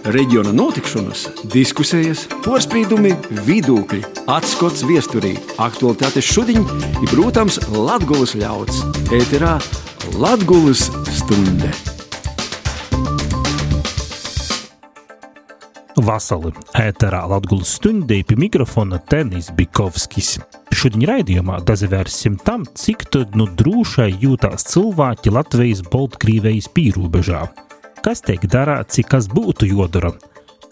Reģiona notikšanas, diskusijas, porspīdumi, vidūkļi, atskots viesturī, aktualitātes šudiņ i, protams, Latgulas ļauds. Ēterā Latgulas stunde. Vasali, ēterā Latgulas stundē pie mikrofona Tenis Bikovskis. Šodien raidījumā dazavērsim tam, cik tad drūšai jūtās cilvēki Latvijas-Baltkrīvejas pīrobežā. Kas tiek darāts, kas būtu jodara?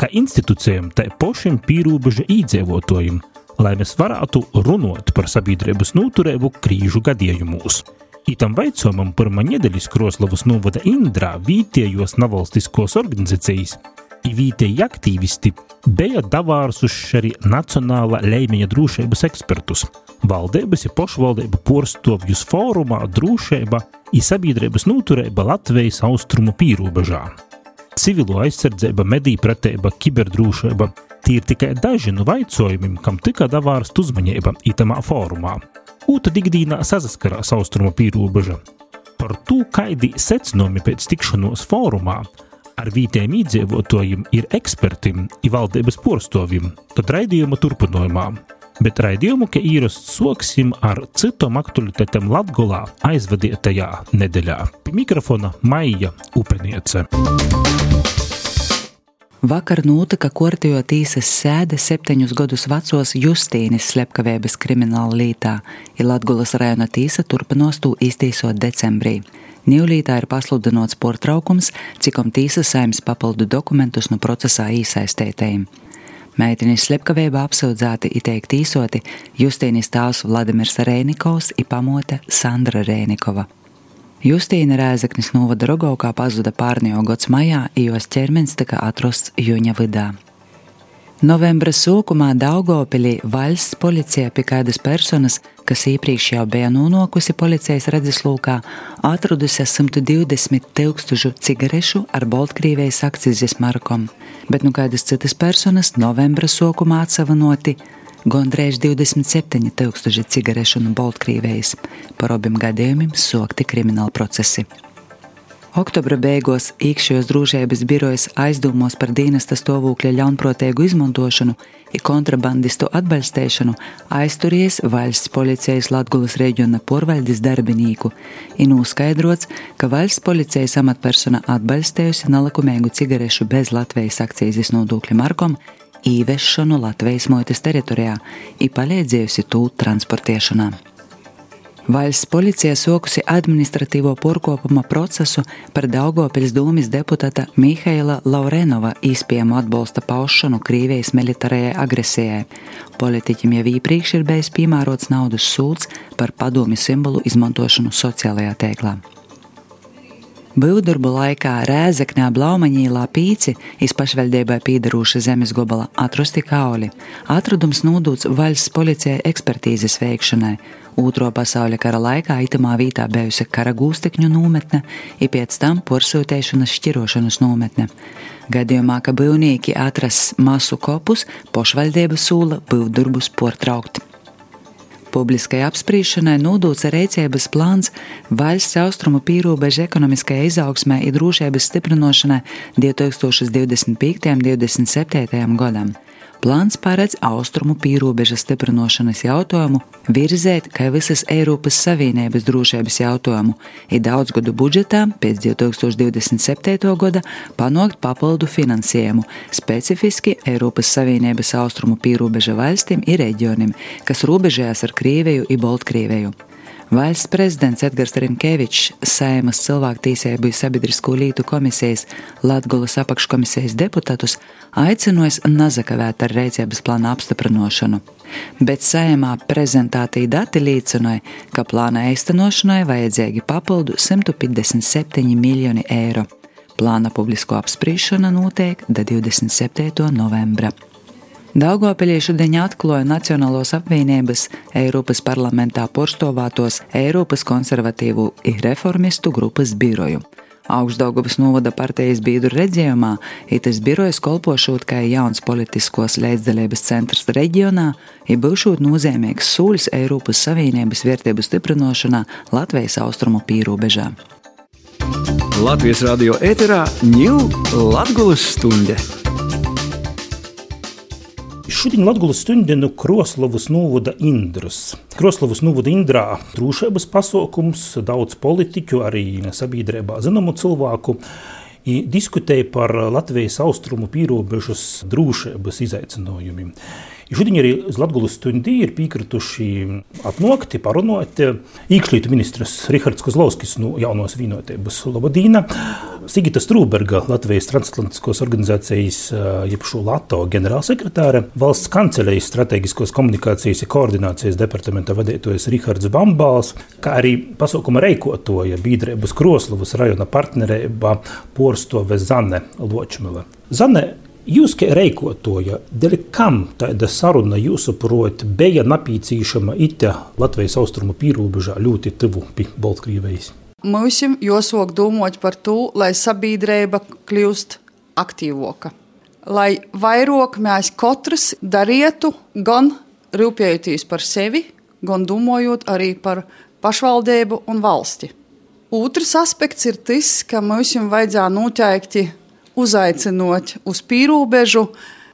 Kā institūcijām tai pošiem pīrobeža īdzīvotājiem, lai mēs varētu runot par sabiedrības noturību krīžu gadījumos. Itam vaicojumam pirmā nedēļas Kroslavas novada Indrā vietējos nevalstiskos organizacijas i vietēji aktīvisti bija davārsuši arī nacionāla līmeņa drošības ekspertus, valdības i pošvaldību porstovjus fórumā drošība i sabiedrības noturība Latvijas austrumu pīrobežā. Civilo aizsardzība, mediju pratība, kiberdrošība – tie ir tikai daži no vaicojumiem, kam tika davārsta uzmanība itamā fórumā. Ūta ikdīnā saskarās austrumu pīrobeža. Par to, kādi secinājumi pēc tikšanos fórumā ar vietējiem iedzīvotājiem ir ekspertim i valdības porstovim, tad raidījuma turpinājumā. Bet raidījumu, ka īrasts soksim ar citom aktualitātēm Latgolā aizvadītajā nedēļā. Pie mikrofona Maija Upeniece. Vakar notika Kortejo tīsas sēde 7 gadus vecos Justīnis slepkavības krimināla lītā, i Latgulas rajona tīsa turpinos tū iztīsot decembrī. Nīvlītā ir pasludinots portraukums, cikom tīsa saimnes papildu dokumentus no procesā īsaistētajiem. Meitinis slepkavībā apsūdzēti i teikt īsoti Justīnis tāvs Vladimirs Rēnikovs i pamote Sandra Rēnikova. Justīna Rēzeknis novada Rogovkā pazuda pārnējo gods majā, i jos ķermenis tika atrosts jūņa vidā. Novembra sūkumā Daugavpilī valsts policija pie kādas personas, kas iepriekš jau bija nonākusi policijas redzeslūkā, atradusi 120 000 cigarešu ar Baltkrīvejas akcizes markom, bet kādas citas personas novembra sūkumā atsavanoti gondrēž 27 000 cigarešu no Baltkrīvejas. Par obiem gadījumiem sokti krimināli procesi. Oktobra beigos iekšējos drošības birojas aizdomos par dienesta stāvokļa ļaunprātīgu izmantošanu i kontrabandistu atbalstēšanu aizturies valsts policijas Latgulas reģiona porvaldes darbinīku i noskaidrots, ka valsts policijas amatpersona atbalstējusi nelikumīgu cigarešu bez Latvijas akcīzes nodokļa markom īvešanu Latvijas muitas teritorijā i palīdzējusi tū transportēšanā. Valsts policija sokusi administratīvo porkopuma procesu par Daugavpils dūmis deputāta Mihaila Laurenova īspējamu atbalsta paušanu Krīvijas militārajai agresijai. Politiķim jau iepriekš ir bijis piemērots naudas sūds par padomju simbolu izmantošanu sociālajā tēklā. Byvdarbu laikā Rēzeknē Blaumaņīlā Pīci iz pašvaldībai pīdarūša zemes gobala atrosti kauli. Atradums nodūts valsts policijai ekspertīzes veikšanai. Otro pasauļa kara laikā itamā vītā bijusi kara gūstekņu nometne i pēc tam porsūtēšanas šķirošanas nometne. Gadījumā, ka byvnieki atras masu kopus, pošvaldība sūla byvdarbus portraukt. Publiskai apspriešanai nodūts rīcības plāns valsts austrumu pīrobeža ekonomiskajai izaugsmē i drošības stiprinošanai 2025–2027 gadam. Plāns paredz austrumu pīrobeža stiprinošanas jautājumu virzēt kā visas Eiropas Savienības drošības jautājumu i daudzgadu budžetā pēc 2027. gada panākt papildu finansējumu, specifiski Eiropas Savienības austrumu pīrobeža valstīm i reģionim, kas robežojas ar Krieviju i Baltkrīveju. Valsts prezidents Edgars Rimkevičs, Saimas cilvēktiesību sabiedrisko lietu komisijas Latgulas apakškomisijas deputātus aicinojis nazakavēt ar rīcības plāna apstiprinošanu. Bet Saimā prezentētie dati liecināja, ka plāna īstenošanai vajadzīgi papildu 157 miljoni eiro. Plāna publisko apspriešana notiek do 27. novembra. Daugavpilī šodien atklāja Nacionālos apvienības Eiropas parlamentā porstovātos Eiropas konservatīvu i reformistu grupas biroju. Augšdaugavas novada partijas biedru redzējumā, itas birojas kolpošot kā jauns politiskos līdzdalības centrs reģionā, i būšot nozīmīgs sūļs Eiropas Savienības vērtību stiprinošanā Latvijas austrumu pīrobežā. Latvijas radio ēterā ņū Latgulas stunde. Šodien Latgulas stundinu Kroslavas novada Indras. Kroslavas novada Indrā drošības pasākums, daudz politiķu, arī sabiedrībā zināmu cilvēku diskutēja par Latvijas austrumu pīrobežas drošības izaicinājumiem. Šodien arī uz Latgulas stundī ir piekrituši atnākt, parunāt iekšlietu ministrs Rihards Kozlovskis no Jaunos Vienotības Labadīna, Sigita Strūberga, Latvijas transatlantiskos organizācijas jebšu LATO ģenerālsekretāre, valsts kancelejas strateģiskos komunikācijas un koordinācijas departamenta vadītājs Rihards Bambals, kā arī pasākuma reikotoja biedrības Kroslavas rajona partnerībā porstove Zane Ločmele. Zane, jūs, kā reikotoja, dēļ kam tāda saruna jūsuprāt bija napīcīšama ite Latvijas austrumu pīrobežā ļoti tuvu pie Baltkrievijas? Mums jāsāk domāt par to, lai sabiedrība kļūst aktīvāka. Lai vairāk mēs katrs darītu, gan rūpējoties par sevi, gan domājot arī par pašvaldību un valsti. Otrs aspekts ir tas, ka mums vajadzētu noteikti uzaicinot uz pīrobežu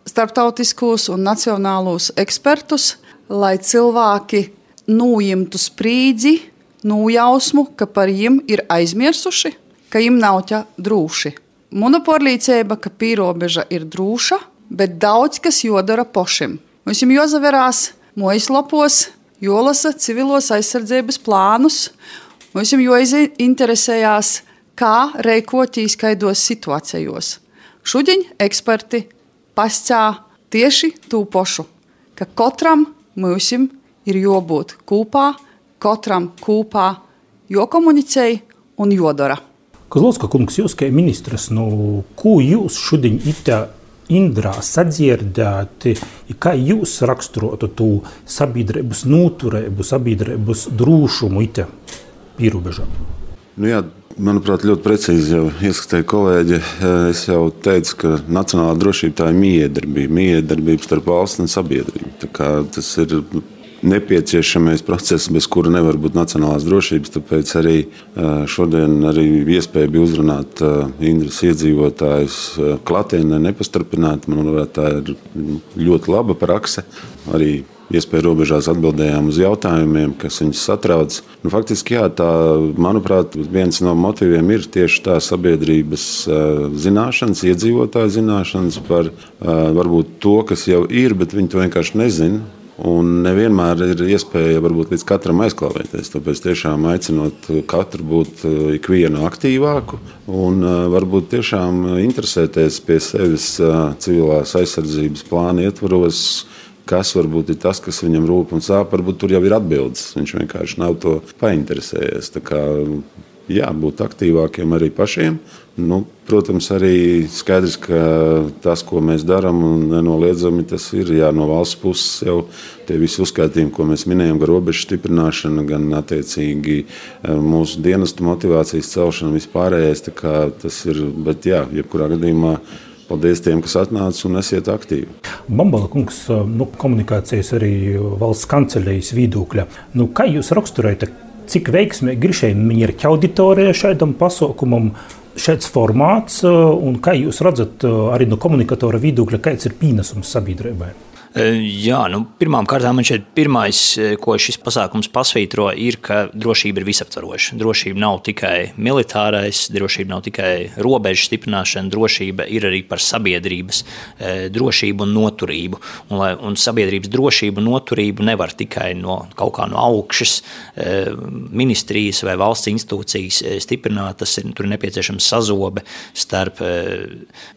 starptautiskos un nacionālos ekspertus, lai cilvēki nojimtu sprīdzi, nojausmu, ka par viņiem ir aizmirsuši, ka viņiem nav tā droši. Mana pārliecība, ka pīrobeža ir droša, bet daudz kas jodara pašiem. Mums jāzaverās mājaslapos, jālasa civilos aizsardzības plānus, mums jāinteresējās, kā rīkoties kaidos situācijos. Šodien eksperti pastāv tieši to pašu, ka katram mums ir jābūt kopā, katram kopā jākomunicē un jādara. Kozlovska kungs, jūs kā ministrs, ko jūs šodien itā Indrā sadzirdēti, kā jūs raksturotu to sabiedrības noturību, sabiedrības drošumu itā pīrobežā? Jā, manuprāt, ļoti precīzi jau ieskatīja kolēģi. Es jau teicu, ka nacionālā drošība tā ir mijiedarbība starp valsts un sabiedrību. Tā kā tas ir nepieciešamais process, bez kura nevar būt nacionālās drošības. Tāpēc arī šodien arī iespēja bija uzrunāt Indras iedzīvotājus klātienē nepastarpināt. Manuprāt, tā ir ļoti laba prakse. Arī iespēja robežās atbildējām uz jautājumiem, kas viņus satrauc. Faktiski, jā, tā, manuprāt, viens no motīviem ir tieši tā sabiedrības zināšanas, iedzīvotāju zināšanas par varbūt to, kas jau ir, bet viņi to vienkārši nezina. Un nevienmēr ir iespēja varbūt līdz katram aizklāvēties. Tāpēc tiešām aicinot katru būt ikvienu aktīvāku un varbūt tiešām interesēties pie sevis civilās aizsardzības plāna ietvaros, kas varbūt ir tas, kas viņam rūp un sāp. Varbūt tur jau ir atbildes. Viņš vienkārši nav to painteresējies. Tā kā jā, būt aktīvākiem arī pašiem. Protams, arī skaidrs, ka tas, ko mēs darām, un nenoliedzami tas ir no valsts puses jau tie visi uzskaitījumi, ko mēs minējam, gan robežu stiprināšana, gan attiecīgi mūsu dienestu motivācijas celšana, vispārējais. Tā kā tas ir, bet jā, jebkurā gadījumā paldies tiem, kas atnāca un esiet aktīvi. Bambala kungs, komunikācijas arī valsts kancelejas viedokļa. Kā jūs raksturējat, cik veiksmīgi ir šeit mierķa auditorija šādam pasākumam, šāds formāts, un kā jūs redzat arī no komunikatora viedokļa, kāds ir pienesums sabiedrībai? Jā, pirmām kārtām man šeit pirmais, ko šis pasākums pasvītro, ir, ka drošība ir visaptvaroša. Drošība nav tikai militārais, drošība nav tikai robežu stiprināšana, drošība ir arī par sabiedrības drošību un noturību. Un sabiedrības drošību un noturību nevar tikai kaut kā no augšas ministrijas vai valsts institūcijas stiprināt. Tur ir nepieciešams sazobe starp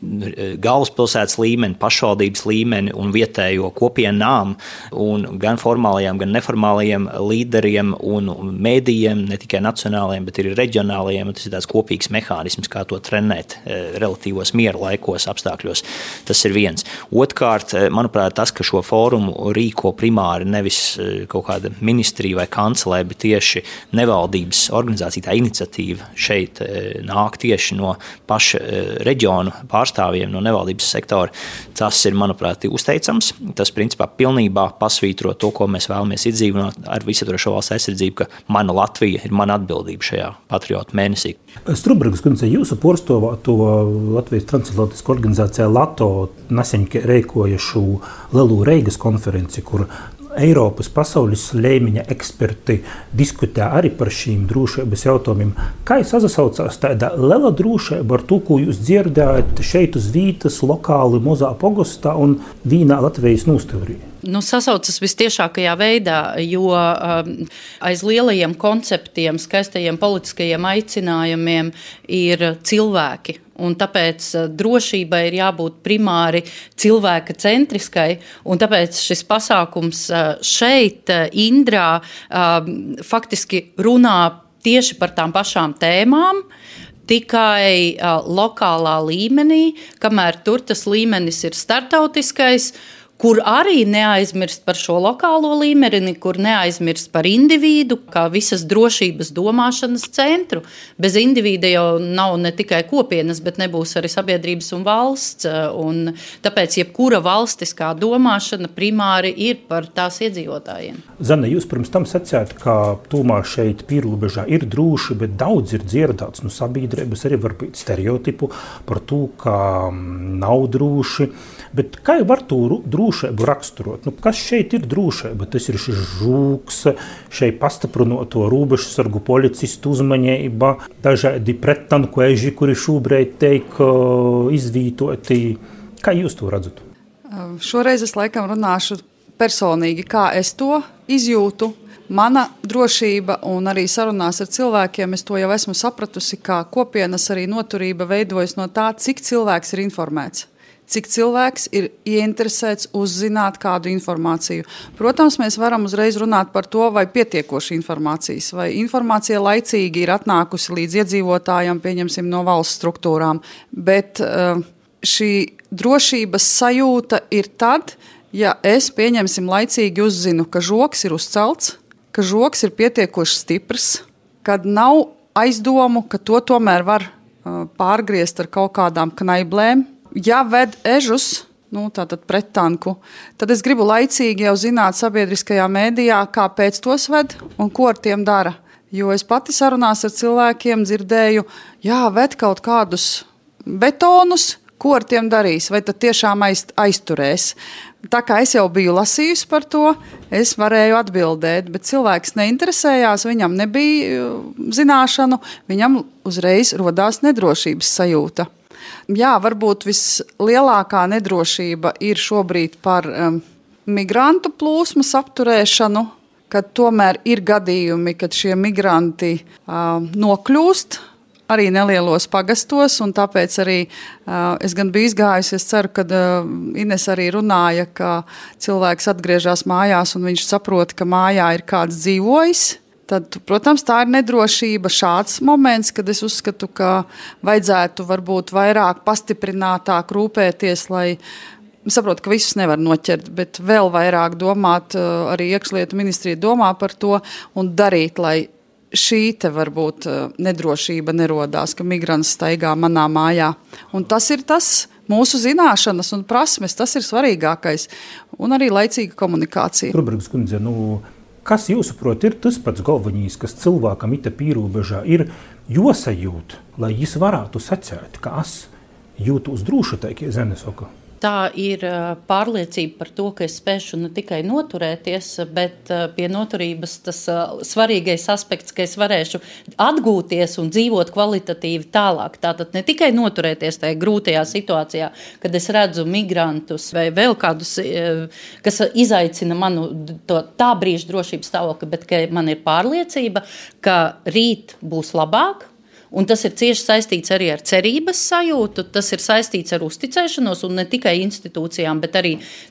galvaspilsētas līmeni, pašvaldības līmeni un vietējo kopienām, un gan formālajiem, gan neformālajiem līderiem un mēdījiem, ne tikai nacionālajiem, bet arī reģionālajiem. Tas ir tāds kopīgs mehānisms, kā to trenēt relatīvos miera laikos, apstākļos. Tas ir viens. Otrkārt, manuprāt, tas, ka šo fórumu rīko primāri nevis kaut kāda ministrija vai kancelē, bet tieši nevaldības organizācija, tā iniciatīva šeit nāk tieši no paša reģionu pārstāvjiem, no nevaldības sektora. Tas ir, manuprāt, uzteicams. tas principā pilnībā pasvītro to, ko mēs vēlamies izdzīvināt ar visaptvarošo valsts aizsardzību, ka mana Latvija ir mana atbildība šajā patriotu mēnesī. Strubbergas kundze, jūsu porstovāto Latvijas transatlantiskā organizācijā LATO nesen reikoja šo lielu Reigas konferenci, kur Eiropas pasaules līmeņa eksperti diskutē arī par šīm drošības jautājumiem. Kā sasaucās tāda liela drošība ar to, ko jūs dzirdējat šeit uz vītas, lokāli, mazā pogostā un vienā Latvijas nostavrī? Sasaucas vistiešākajā veidā, jo aiz lielajiem konceptiem, skaistajiem politiskajiem aicinājumiem ir cilvēki. Un tāpēc drošībai ir jābūt primāri cilvēka centriskai, un tāpēc šis pasākums šeit, Indrā, faktiski runā tieši par tām pašām tēmām, tikai lokālā līmenī, kamēr tur tas līmenis ir startautiskais, kur arī neaizmirst par šo lokālo līmeni, kur neaizmirst par individu, kā visas drošības domāšanas centru. Bez individa jau nav ne tikai kopienas, bet nebūs arī sabiedrības un valsts. Un tāpēc jebkura valstiskā domāšana primāri ir par tās iedzīvotājiem. Zane, jūs pirms tam sacījāt, ka tomēr šeit pierobežā ir droši, bet daudz ir dzirdēts no sabiedrības, arī varbūt stereotipu par to, ka nav droši. Bet kā var to drošību raksturot? Kas šeit ir drošība? Tas ir šis žūks, šeit pastiprinoto robežsargu policistu uzmanība, dažādi prettanku eži, kuri šobrīd tiek izvītoti. Kā jūs to redzat? Šoreiz es laikam runāšu personīgi, kā es to izjūtu. Mana drošība un arī sarunās ar cilvēkiem, es to jau esmu sapratusi, kā kopienas arī noturība veidojas no tā, cik cilvēks ir informēts. Cik cilvēks ir ieinteresēts uzzināt kādu informāciju. Protams, mēs varam uzreiz runāt par to, vai pietiekoši informācijas, vai informācija laicīgi ir atnākusi līdz iedzīvotājiem, pieņemsim, no valsts struktūrām. Bet šī drošības sajūta ir tad, ja es, pieņemsim, laicīgi uzzinu, ka žoks ir uzcelts, ka žoks ir pietiekoši stiprs, kad nav aizdomu, ka to tomēr var pārgriezt ar kaut kādām knaiblēm. Ja ved ežus, tātad prettanku, tad es gribu laicīgi jau zināt sabiedriskajā mēdījā, kāpēc tos ved un ko ar tiem dara. Jo es pati sarunās ar cilvēkiem dzirdēju, ved kaut kādus betonus, ko ar tiem darīs, vai tad tiešām aizturēs. Tā kā es jau biju lasījusi par to, es varēju atbildēt, bet cilvēks neinteresējās, viņam nebija zināšanu, viņam uzreiz rodās nedrošības sajūta. Varbūt vislielākā nedrošība ir šobrīd par migrantu plūsmas apturēšanu, kad tomēr ir gadījumi, kad šie migranti nokļūst arī nelielos pagastos, un tāpēc arī es gan biju izgājusi, es ceru, ka Ines arī runāja, ka cilvēks atgriežas mājās un viņš saprot, ka mājā ir kāds dzīvojis. Tad, protams, tā ir nedrošība, šāds moments, kad es uzskatu, ka vajadzētu varbūt vairāk pastiprinātāk rūpēties, lai saprotu, ka visus nevar noķert, bet vēl vairāk domāt, arī iekšlietu ministrija domā par to un darīt, lai šī te varbūt nedrošība nerodās, ka migrants staigā manā mājā. Un tas ir tas mūsu zināšanas un prasmes, tas ir svarīgākais. Un arī laicīga komunikācija. Strubbergas kundze, kas jūsuprāt ir tas pats galvenais, kas cilvēkam ita pīrobežā ir josajūt, lai jis varētu sacēt, ka es jūtos droši, tā kā Zene saka? Tā ir pārliecība par to, ka es spēšu ne tikai noturēties, bet pie noturības tas svarīgais aspekts, ka es varēšu atgūties un dzīvot kvalitatīvi tālāk. Tātad ne tikai noturēties tajā grūtajā situācijā, kad es redzu migrantus vai vēl kādus, kas izaicina manu tā brīža drošības stāvokli, bet ka man ir pārliecība, ka rīt būs labāk. Un tas ir cieši saistīts arī ar cerības sajūtu, tas ir saistīts ar uzticēšanos, un ne tikai institūcijām, bet arī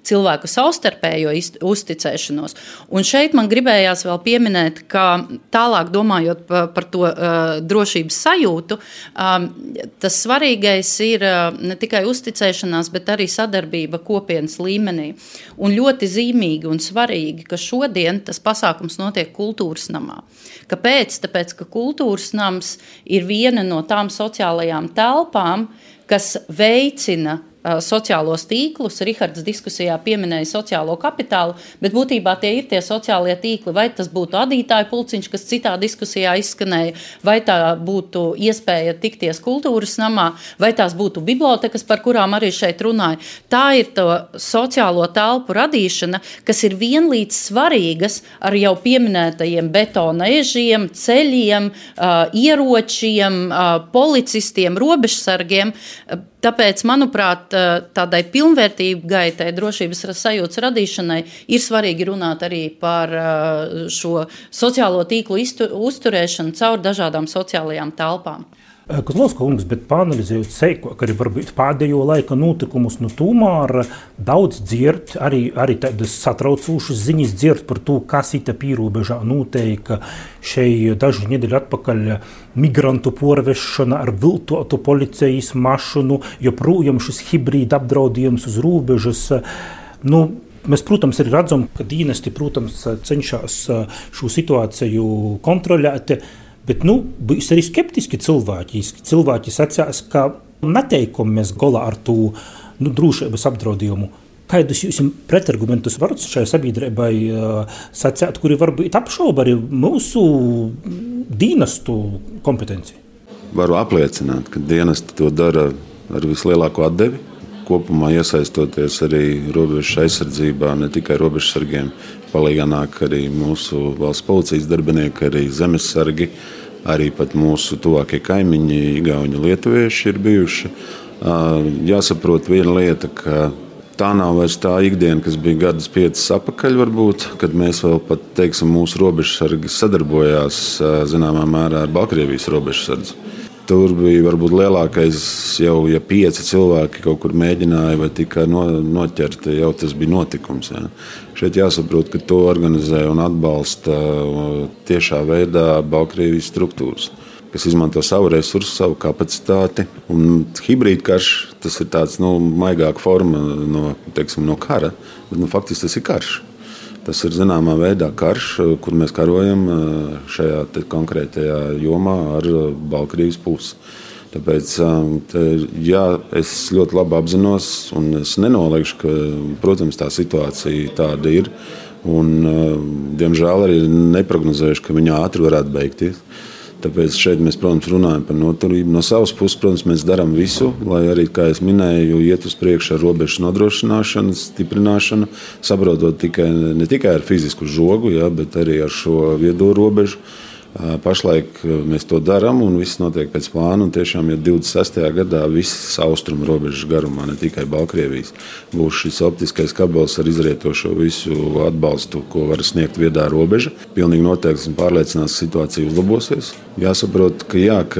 cilvēku savstarpējo uzticēšanos. Un šeit man gribējās vēl pieminēt, ka tālāk domājot par to drošības sajūtu, tas svarīgais ir ne tikai uzticēšanās, bet arī sadarbība kopienas līmenī. Un ļoti zīmīgi un svarīgi, ka šodien tas pasākums notiek kultūras namā. Kāpēc? Tāpēc, ka kultūras nams ir viena no tām sociālajām telpām, kas veicina sociālos tīklus. Rihards diskusijā pieminēja sociālo kapitālu, bet būtībā tie ir tie sociālie tīkli. Vai tas būtu adītāju pulciņš, kas citā diskusijā izskanēja, vai tā būtu iespēja tikties kultūras namā, vai tās būtu bibliotekas, par kurām arī šeit runāja. Tā ir to sociālo telpu radīšana, kas ir vienlīdz svarīgas ar jau pieminētajiem betona ežiem, ceļiem, ieročiem, policistiem, robežsargiem. Tāpēc, manuprāt, tādai pilnvērtīgai drošības sajūtas radīšanai ir svarīgi runāt arī par šo sociālo tīklu uzturēšanu caur dažādām sociālajām telpām. Kozlovska kungs, bet pāanalizējot seikāk, arī varbūt pēdējo laika notikumus, tomēr daudz dzird, arī tādas satraucošas ziņas dzird par to, kas ita pīrobežā noteika. Šeit dažu nedēļu atpakaļ migrantu porvešana ar viltotu policijas mašinu, joprojām šis hibrīda apdraudījums uz robežas. Mēs, protams, arī redzam, ka dienesti, protams, cenšas šo situāciju kontrolēt. Bet, būs arī skeptiski cilvēki. Cilvēki sacās, ka neteikumi mēs golā ar to drošības apdraudījumu. Kādus jūs pretargumentus varat šai sabiedrībai sacēt, kuri varbūt apšauba arī mūsu dienestu kompetenciju? Varu apliecināt, ka dienesti to dara ar vislielāko atdevi. Kopumā iesaistoties arī robežu aizsardzībā, ne tikai robežsargiem, palīgā nāk arī mūsu valsts policijas darbinieki, arī zemesargi, arī pat mūsu tuvākie kaimiņi, igauņi, lietuvieši ir bijuši. Jāsaprot viena lieta, ka tā nav vairs tā ikdiena, kas bija gadus 5 atpakaļ varbūt, kad mēs vēl pat, mūsu robežsargi sadarbojās zināmā mērā ar Baltkrievijas robežsardzi. Tur bija varbūt lielākais jau, ja 5 cilvēki kaut kur mēģināja vai tikai noķerti, jau tas bija notikums. Ja. Šeit jāsaprot, ka to organizē un atbalsta tiešā veidā Baltkrievijas struktūras, kas izmanto savu resursu, savu kapacitāti. Un hibrīdkarš, tas ir tāds maigāka forma no kara, bet faktiski tas ir karš. Tas ir zināmā veidā karš, kur mēs karojam šajā konkrētajā jomā ar Baltkrievijas pusi. Tāpēc, es ļoti labi apzinos un es nenoliekšu, ka, protams, tā situācija tāda ir. Un, diemžēl arī neprognozējuši, ka viņa ātri varētu beigties. Tāpēc šeit mēs, protams, runājam par noturību. No savas puses, protams, mēs darām visu, lai arī, kā es minēju, iet uz priekšu ar robežu nodrošināšanu, stiprināšanu, saprotot ne tikai ar fizisku žogu, bet arī ar šo viedo robežu. Pašlaik mēs to darām un viss notiek pēc plāna. Un tiešām, ja 26. gadā visas austrumu robežas garumā, ne tikai Baltkrievijas, būs šis optiskais kabels ar izrietošo visu atbalstu, ko var sniegt viedā robeža. Pilnīgi noteikti esmu pārliecināts, ka situācija uzlabosies. Jāsaprot, ka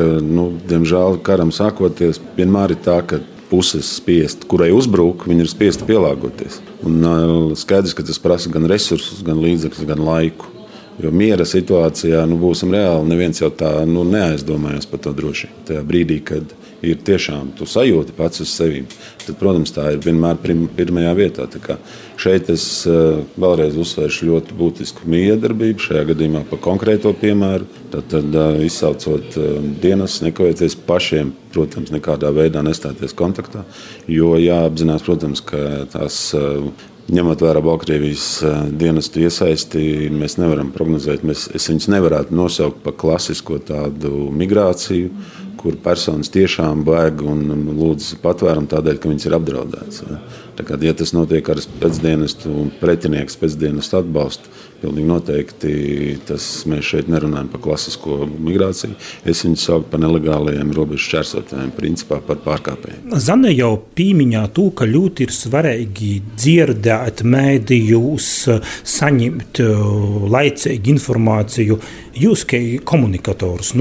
diemžēl karam sākoties, vienmēr ir tā, ka puses spiest, kurai uzbruk, viņi ir spiesti pielāgoties. Un skaidrs, ka tas prasa gan resursus, gan līdzekļus, gan laiku. Jo miera situācijā būsim reāli, neviens jau tā neaizdomājas par to drošību. Tajā brīdī, kad ir tiešām tu sajūti pats uz sevi, tad, protams, tā ir vienmēr pirmajā vietā. Tā kā šeit es vēlreiz uzsvēršu ļoti būtisku miedarbību, šajā gadījumā par konkrēto piemēru. Tad izsaucot dienas, nekavēties pašiem, protams, nekādā veidā nestāties kontaktā, jo jāapzinās, protams, ka tās ņemot vērā Baltkrievijas dienestu iesaisti, mēs nevaram prognozēt. Es viņus nevarētu nosaukt par klasisko tādu migrāciju, kur personas tiešām bēg un lūdz patvērumu tādēļ, ka viņas ir apdraudētas. Tā kā, ja tas notiek ar pēcdienestu un pretinieks pēcdienestu atbalstu, pilnīgi noteikti mēs šeit nerunājam par klasisko migrāciju. Es viņus saucu par nelegālajiem robežu šķērsotājiem, principā par pārkāpējiem. Zane jau pīmiņā to, ka ļoti ir svarīgi dzirdēt mēdījus, saņemt laicīgi informāciju. Jūs, kā komunikators,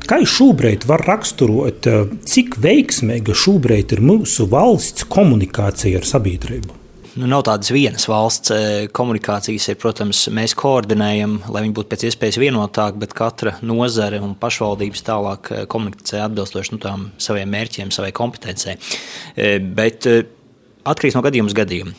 kā šobrīd var raksturot, cik veiksmīga šobrīd ir mūsu valsts komunikācija ar sabiedrību? Nav tādas vienas valsts komunikācijas, protams, mēs koordinējam, lai viņi būtu pēc iespējas vienotāk, bet katra nozare un pašvaldības tālāk komunikācija atbilstoši tām saviem mērķiem, savai kompetencei. Bet Atkarīgs no gadījuma uz gadījumu.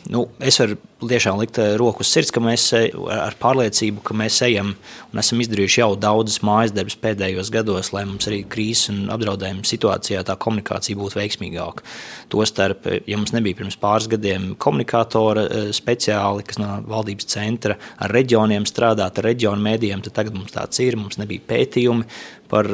Es varu tiešām likt roku uz sirds, ka mēs ar pārliecību, ka mēs ejam un esam izdarījuši jau daudzas mājas darbus pēdējos gados, lai mums arī krīzes un apdraudējuma situācijā tā komunikācija būtu veiksmīgāka. Tostarp, ja mums nebija pirms pāris gadiem komunikātora speciāli, kas no valdības centra ar reģioniem strādāt, ar reģionu mēdījiem, tad tagad mums tāds ir, mums nebija pētījumi par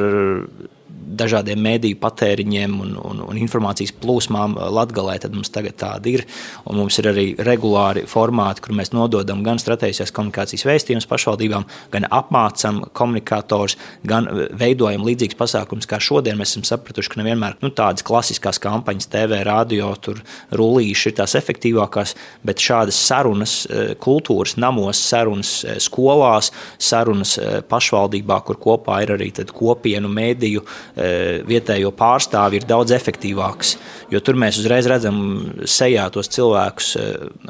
dažādiem mēdīju patēriņiem un informācijas plūsmām Latgalē, tad mums tagad tāda ir. Un mums ir arī regulāri formāti, kur mēs nododam gan strateģiskās komunikācijas vēstījumus pašvaldībām, gan apmācam komunikators, gan veidojam līdzīgas pasākumus, kā šodien mēs esam sapratuši, ka nevienmēr tādas klasiskās kampaņas TV, radio, tur rullīši ir tās efektīvākās, bet šādas sarunas kultūras namos, sarunas skolās, sarunas pašvaldībā, kur kopā ir arī tad kopienu mēdīju vietējo pārstāvi ir daudz efektīvāks, jo tur mēs uzreiz redzam sejā tos cilvēkus,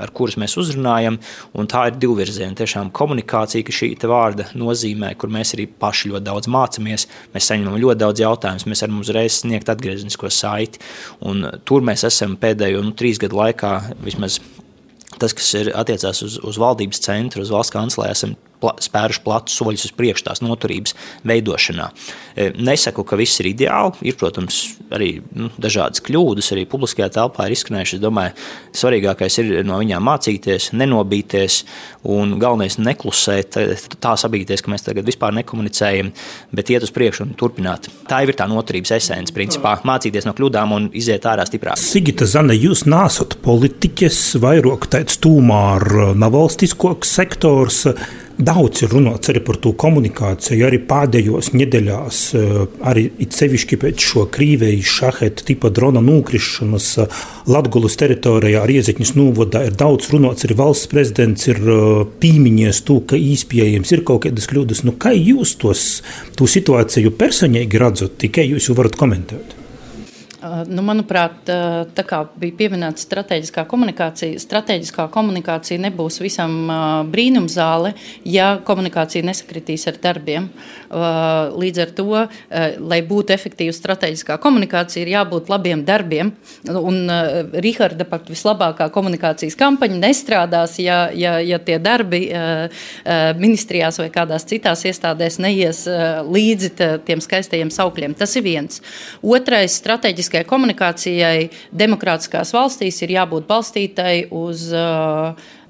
ar kurus mēs uzrunājam, un tā ir divvirziena tiešām komunikācija, ka šī te vārda nozīmē, kur mēs arī paši ļoti daudz mācamies, mēs saņemam ļoti daudz jautājumus, mēs varam uzreiz sniegt atgriezenisko saiti, un tur mēs esam pēdējo 3 gadu laikā, vismaz tas, kas ir attiecās uz valdības centru, uz valsts kancelē, esam spēruši platus soļus uz priekšu tās noturības veidošanā. Nesaku, ka viss ir ideāli, ir, protams, arī dažādas kļūdas, arī publiskajā telpā ir izskanējuši. Es domāju, svarīgākais ir no viņām mācīties, nenobīties un galvenais neklusēt, tā sabīties, ka mēs tagad vispār nekomunicējam, bet iet uz priekšu un turpināt. Tā ir tā noturības esence, principā, mācīties no kļūdām un iziet ārā stiprāk. Sigita, Zane, jūs nesat politiķes, vairāk tāds tūmā ar nevalstiskoks sektors. Daudz ir runāts arī par to komunikāciju, arī pēdējos nedēļās, arī it sevišķi pēc šo Krīvejas šaheta tipa drona nokrišanas Latgulas teritorijā ar Iezekņas novadā ir daudz runāts, arī valsts prezidents ir pīmiņies to, ka īspējams ir kaut kādas kļūdas. Kā jūs to situāciju personīgi redzat, tikai jūs jau varat komentēt? Manuprāt, tā kā bija pieminēta strateģiskā komunikācija nebūs visam brīnumzāle, ja komunikācija nesakritīs ar darbiem. Līdz ar to, lai būtu efektīva strateģiskā komunikācija, ir jābūt labiem darbiem. Un Riharda pat vislabākā komunikācijas kampaņa nestrādās, ja tie darbi ministrijās vai kādās citās iestādēs neies līdzi tiem skaistajiem saukļiem. Tas ir viens. Otrais, strateģiskā komunikācijai demokrātiskās valstīs ir jābūt balstītai uz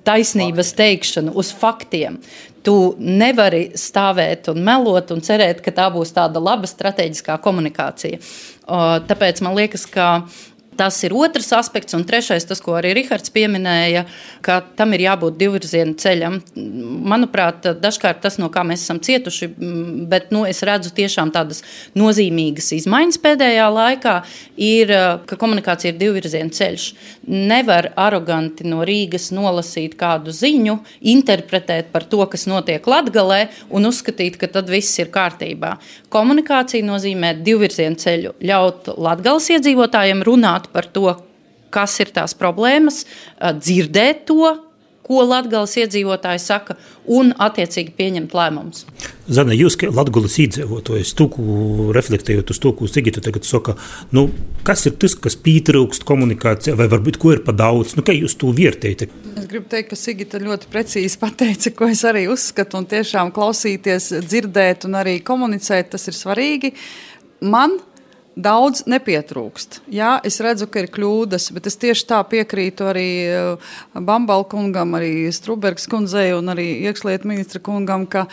taisnības teikšanu, uz faktiem. Tu nevari stāvēt un melot un cerēt, ka tā būs tāda laba strateģiskā komunikācija. Tāpēc man liekas, ka tas ir otrs aspekts, un trešais, tas, ko arī Rihards pieminēja, ka tam ir jābūt divvirziena ceļam. Manuprāt, dažkārt tas, no kā mēs esam cietuši, bet es redzu tiešām tādas nozīmīgas izmaiņas pēdējā laikā, ir, ka komunikācija ir divvirziena ceļš. Nevar aroganti no Rīgas nolasīt kādu ziņu, interpretēt par to, kas notiek Latgalē, un uzskatīt, ka tad viss ir kārtībā. Komunikācija nozīmē divvirziena ceļu, ļaut Latgales iedzīvotājiem runāt par to, kas ir tās problēmas, dzirdēt to, ko Latgales iedzīvotāji saka, un attiecīgi pieņemt lēmumus. Zane, jūs, kā Latgales iedzīvotājs, reflektējot uz to, ko Sigita tagad saka, kas ir tas, kas pietrūkst komunikācijā, vai varbūt ko ir pa daudz? Kā jūs to vērtējat? Es gribu teikt, ka Sigita ļoti precīzi pateica, ko es arī uzskatu, un tiešām klausīties, dzirdēt un arī komunicēt, tas ir svarīgi. Man daudz nepietrūkst. Jā, es redzu, ka ir kļūdas, bet es tieši tā piekrītu arī Bambala kungam, arī Strubergas kundzei un arī iekšlietu ministra kungam, ka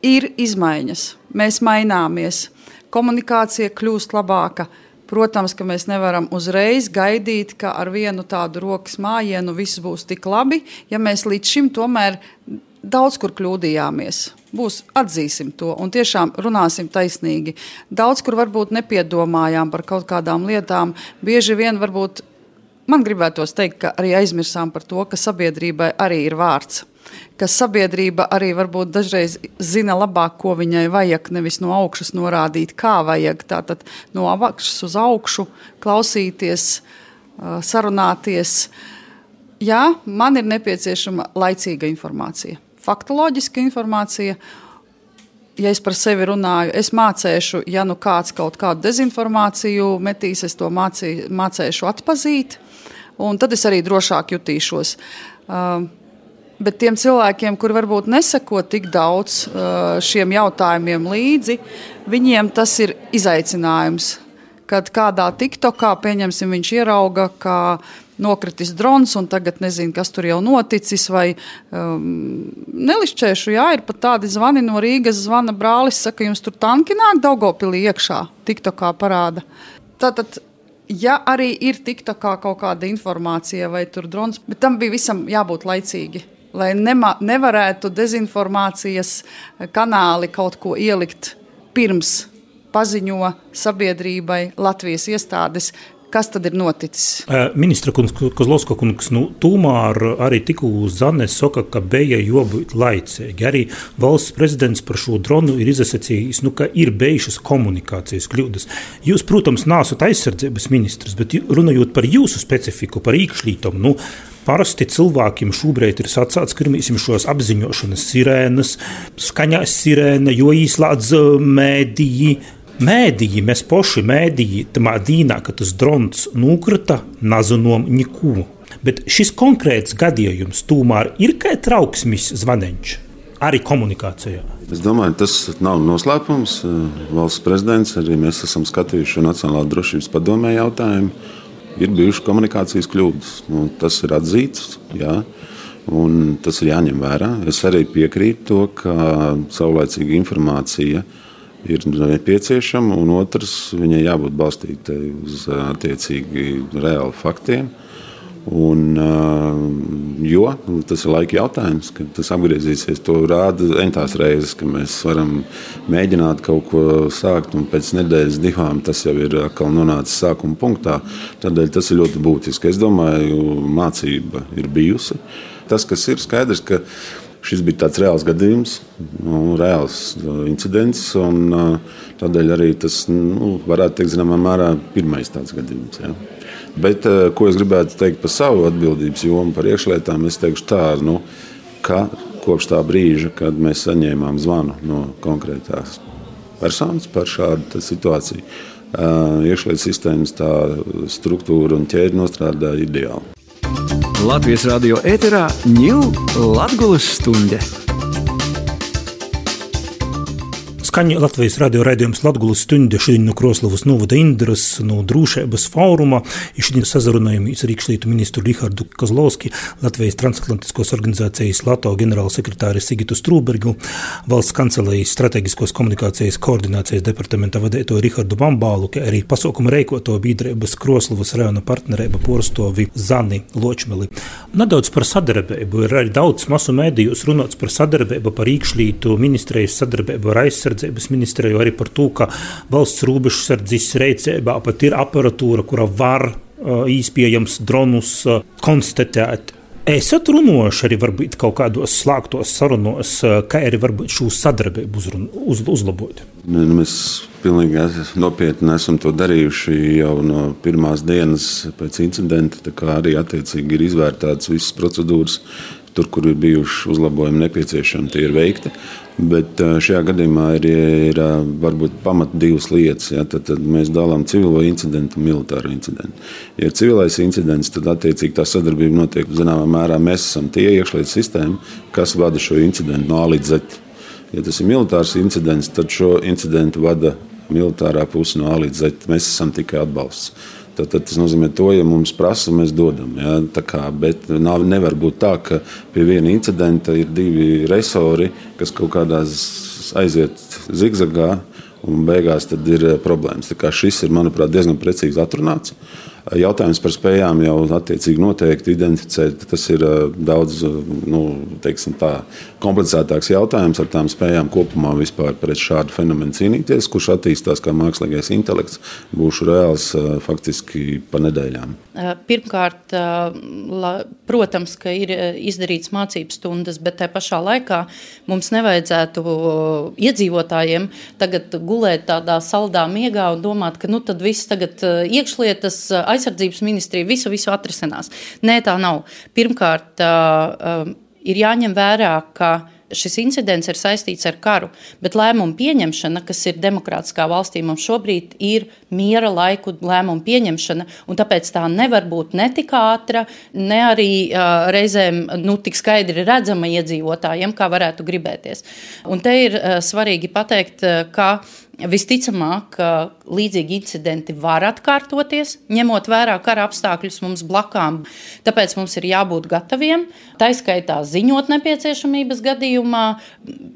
ir izmaiņas. Mēs maināmies. Komunikācija kļūst labāka. Protams, ka mēs nevaram uzreiz gaidīt, ka ar vienu tādu rokas mājienu viss būs tik labi, ja mēs līdz šim tomēr daudz kur kļūdījāmies. Atzīsim to un tiešām runāsim taisnīgi. Daudz kur varbūt nepiedomājām par kaut kādām lietām. Bieži vien varbūt, man gribētos teikt, ka arī aizmirsām par to, ka sabiedrībai arī ir vārds. Ka sabiedrība arī varbūt dažreiz zina labāk, ko viņai vajag, nevis no augšas norādīt, kā vajag. Tātad no augšas uz augšu klausīties, sarunāties. Jā, man ir nepieciešama laicīga informācija. Faktoloģiska informācija, ja es par sevi runāju, es mācēšu, ja kāds kaut kādu dezinformāciju metīs, es to mācēšu atpazīt, un tad es arī drošāk jutīšos. Bet tiem cilvēkiem, kuri varbūt neseko tik daudz šiem jautājumiem līdzi, viņiem tas ir izaicinājums. Kad kādā TikTokā, pieņemsim, viņš ierauga, ka nokritis drons un tagad nezinu, kas tur jau noticis, vai nelišķēšu, ir pat tādi zvani no Rīgas, zvana brālis, saka, jums tur tanki nāk Daugavpilī iekšā, TikTokā parāda. Tātad, ja arī ir TikTokā kaut kāda informācija vai tur drons, bet tam bija visam jābūt laicīgi, lai nevarētu dezinformācijas kanāli kaut ko ielikt pirms paziņo sabiedrībai Latvijas iestādes, kas tad ir noticis. Ministra kungs, Kozlovska kungs, tūmēr arī tikko Zane saka, ka bija jābūt laicīgi. Arī valsts prezidents par šo dronu ir izsacījis, ka ir bijušas komunikācijas kļūdas. Jūs, protams, neesat aizsardzības ministrs, bet runājot par jūsu specifiku, par iekšlietom, parasti cilvēkiem šobrīd ir sacāts, ka ir šos apziņošanas sirēnas, skaņās sirēna, jo īslādz mēdīji, mēs poši mēdīji, tamā dīnā, ka tas drons nukrita, nazinom niku. Bet šis konkrēts gadījums tomēr ir kā trauksmis zvaneņš, arī komunikācijā. Es domāju, tas nav noslēpums. Valsts prezidents, arī mēs esam skatījuši Nacionālā drošības padomē jautājumu. Ir bijušas komunikācijas kļūdas. Tas ir atzīts, jā, un tas ir jāņem vērā. Es arī piekrītu to, ka saulaicīga informācija ir nepieciešama, un otrs, viņai jābūt balstītai uz attiecīgi reāli faktiem. Jo tas ir laika jautājums, kad tas apgriezīsies. To rāda entās reizes, ka mēs varam mēģināt kaut ko sākt, un pēc nedēļas, divām tas jau ir atkal nonācis sākuma punktā. Tādēļ tas ir ļoti būtiski. Es domāju, mācība ir bijusi. Tas, kas ir skaidrs, ka šis bija tāds reāls gadījums, reāls incidents, un tādēļ arī tas, varētu teikt, zināmā mērā pirmais tāds gadījums. Ja. Bet, ko es gribētu teikt par savu atbildības jomu par iekšlietām, es teikšu tā, ka kopš tā brīža, kad mēs saņēmām zvanu no konkrētās personas par šādu situāciju, iekšlietu sistēmas tā struktūra un ķēde nostrādāja ideāli. Latvijas radio ēterā ņūl Latgulas stunde. Skaņa Latvijas radio raidījums Latgulas stunde šodien no Kroslavas novada Indras, no Drūšības fóruma. Šodien sazarunājamies ar iekšlietu ministru Rihardu Kozlovski, Latvijas transatlantiskos organizācijas LATO ģenerālsekretāri Sigitu Strūbergu, valsts kancelējas strateģiskos komunikācijas koordinācijas departamenta vadēto Rihardu Bambālu, kā arī pasākuma reikoto biedrības Kroslavas rajona partnerība porstovi Zani Ločmeli. Nedaudz par sadarbību. Ir arī daudz masu mēdījos runāts par sadarbību, par iekšlietu ministrijas sadarbību ar aizsardzību ministriju, arī par to, ka valsts robežsardzes rīcībā pat ir aparatūra, kura var īspējams dronus konstatēt. Esat runājuši arī varbūt kaut kādos slēgtos sarunos, kā arī varbūt šo sadarbību uzlabot? Mēs pilnīgi nopietni esam to darījuši jau no pirmās dienas pēc incidenta, tā kā arī attiecīgi ir izvērtētas visas procedūras. Tur, kur ir bijuši uzlabojumi nepieciešami, tie ir veikti. Bet šajā gadījumā ir varbūt pamat divas lietas. Ja? Tad mēs dalām civilo incidentu un militāru incidentu. Ja ir civilais incidents, tad attiecīgi tā sadarbība notiek zināmā mērā. Mēs esam tie iekšlietu sistēma, kas vada šo incidentu no A līdz Z. Ja tas ir militārs incidents, tad šo incidentu vada militārā puse no A līdz Z. Mēs esam tikai atbalsts. Tad tas nozīmē to, ja mums prasa, mēs dodam. Ja? Bet nevar būt tā, ka pie viena incidenta ir divi resori, kas kaut kādās aiziet zigzagā un beigās tad ir problēmas. Šis ir, manuprāt, diezgan precīzi atrunāts. Jautājums par spējām jau attiecīgi noteikti identificēt. Tas ir daudz komplicētāks jautājums ar tām spējām kopumā vispār pret šādu fenomenu cīnīties, kurš attīstās kā mākslīgais intelekts, būšu reāls faktiski pa nedēļām. Pirmkārt, protams, ka ir izdarīts mācību stundas, bet tajā pašā laikā mums nevajadzētu iedzīvotājiem tagad gulēt tādā saldā miegā un domāt, ka tad viss tagad iekšlietas aizsardzības ministrija visu atrisinās. Nē, tā nav. Pirmkārt, ir jāņem vērā, ka šis incidents ir saistīts ar karu, bet lēmumu pieņemšana, kas ir demokrātiskā valstī, mums šobrīd ir miera laiku lēmumu pieņemšana, un tāpēc tā nevar būt ne tik ātra, ne arī reizēm tik skaidri redzama iedzīvotājiem, kā varētu gribēties. Un te ir svarīgi pateikt, ka visticamāk, līdzīgi incidenti var atkārtoties, ņemot vērā kara apstākļus mums blakām. Tāpēc mums ir jābūt gataviem, taiskaitā ziņot nepieciešamības gadījumā,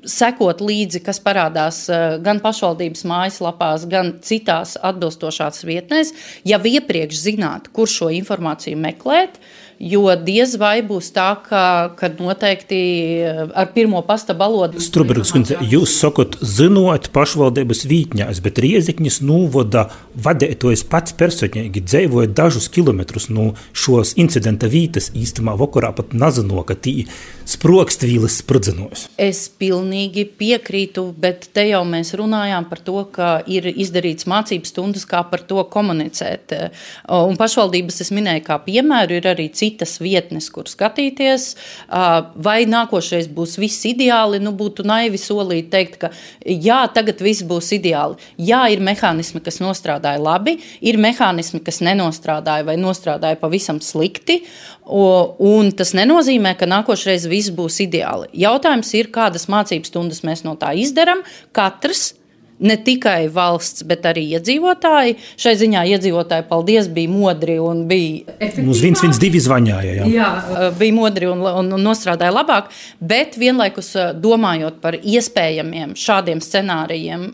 sekot līdzi, kas parādās gan pašvaldības mājaslapās, gan citās atbilstošās vietnēs, jau iepriekš zināt, kur šo informāciju meklēt, jo diez vai būs tā, ka noteikti ar pirmo pasta balodu. Strubergs kundze, jūs sakot, zinot pašvaldības vītņās, bet Rieziknis novada vadētojas pats personīgi dzēvoja dažus kilometrus no šos incidenta vītas, īstamā vakarā pat nazino, ka tī sprokštvīles sprudzenos. Es pilnīgi piekrītu, bet te jau mēs runājām par to, ka ir izdarīts mācības stundas, kā par to komunicēt. Un pašvaldības es minēju kā piemēru, ir arī citas vietnes, kur skatīties, vai nākošais būs viss ideāli, būtu naivi solīt teikt, ka jā, tagad viss būs ideāli. Jā, ir mehānismi, kas nostrādāja labi, ir mehānismi, kas nenostrādāja vai nostrādāja pavisam slikti, un tas nenozīmē, ka nākošreiz viss būs ideāli. Jautājums ir, kādas mācības stundas mēs no tā izdaram, katrs, ne tikai valsts, bet arī iedzīvotāji. Šai ziņā iedzīvotāji, paldies, bija modri un bija efektīvāk. Mums 112 zvaņāja, jā, bija modri un nostrādāja labāk, bet vienlaikus domājot par iespējamiem šādiem scenārijiem,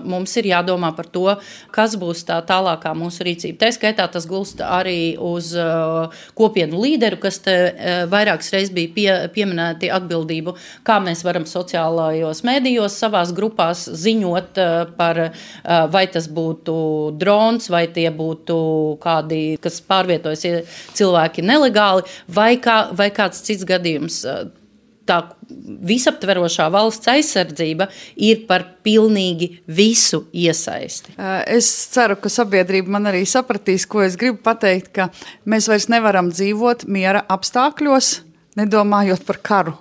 mums ir jādomā par to, kas būs tā tālākā mūsu rīcība. Tā skaitā tas gulst arī uz kopienu līderu, kas te vairākas reizes bija pieminēti atbildību, kā mēs varam sociālajos mēdījos savās grupās ziņot par vai tas būtu drons, vai tie būtu kādi, kas pārvietojas cilvēki nelegāli, vai kāds cits gadījums. Tā visaptverošā valsts aizsardzība ir par pilnīgi visu iesaisti. Es ceru, ka sabiedrība man arī sapratīs, ko es gribu pateikt, ka mēs vairs nevaram dzīvot miera apstākļos, nedomājot par karu.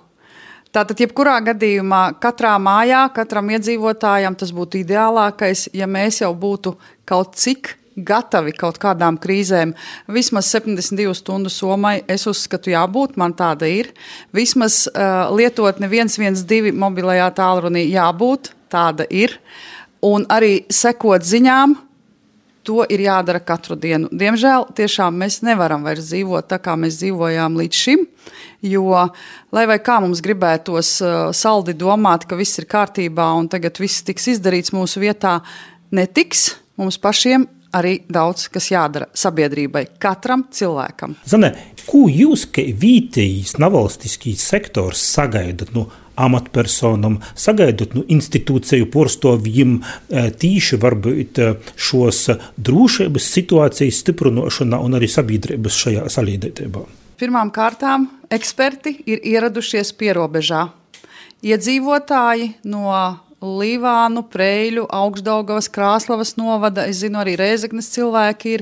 Tātad, jebkurā gadījumā, katrā mājā, katram iedzīvotājam tas būtu ideālākais, ja mēs jau būtu kaut cik gatavi kaut kādām krīzēm. Vismaz 72 stundu somai es uzskatu jābūt, man tāda ir. Vismaz lietotne 112 mobilajā tālrunī jābūt, tāda ir. Un arī sekot ziņām, to ir jādara katru dienu. Diemžēl tiešām mēs nevaram vairs dzīvot tā, kā mēs dzīvojām līdz šim, jo, lai vai kā mums gribētos saldi domāt, ka viss ir kārtībā un tagad viss tiks izdarīts mūsu vietā, netiks. Mums pašiem arī daudz, kas jādara sabiedrībai, katram cilvēkam. Zane, ko jūs, kā vietējais nevalstiskīs sektors, sagaidat amatpersonam, sagaidot institūciju porstovjiem tīši varbūt šos drošības situācijas stiprinošanā un arī sabiedrības šajā salīdētībā? Pirmām kārtām eksperti ir ieradušies pierobežā. Iedzīvotāji no Līvānu, Preiļu, Augšdaugavas, Krāslavas novada, es zinu, arī Rēzeknes cilvēki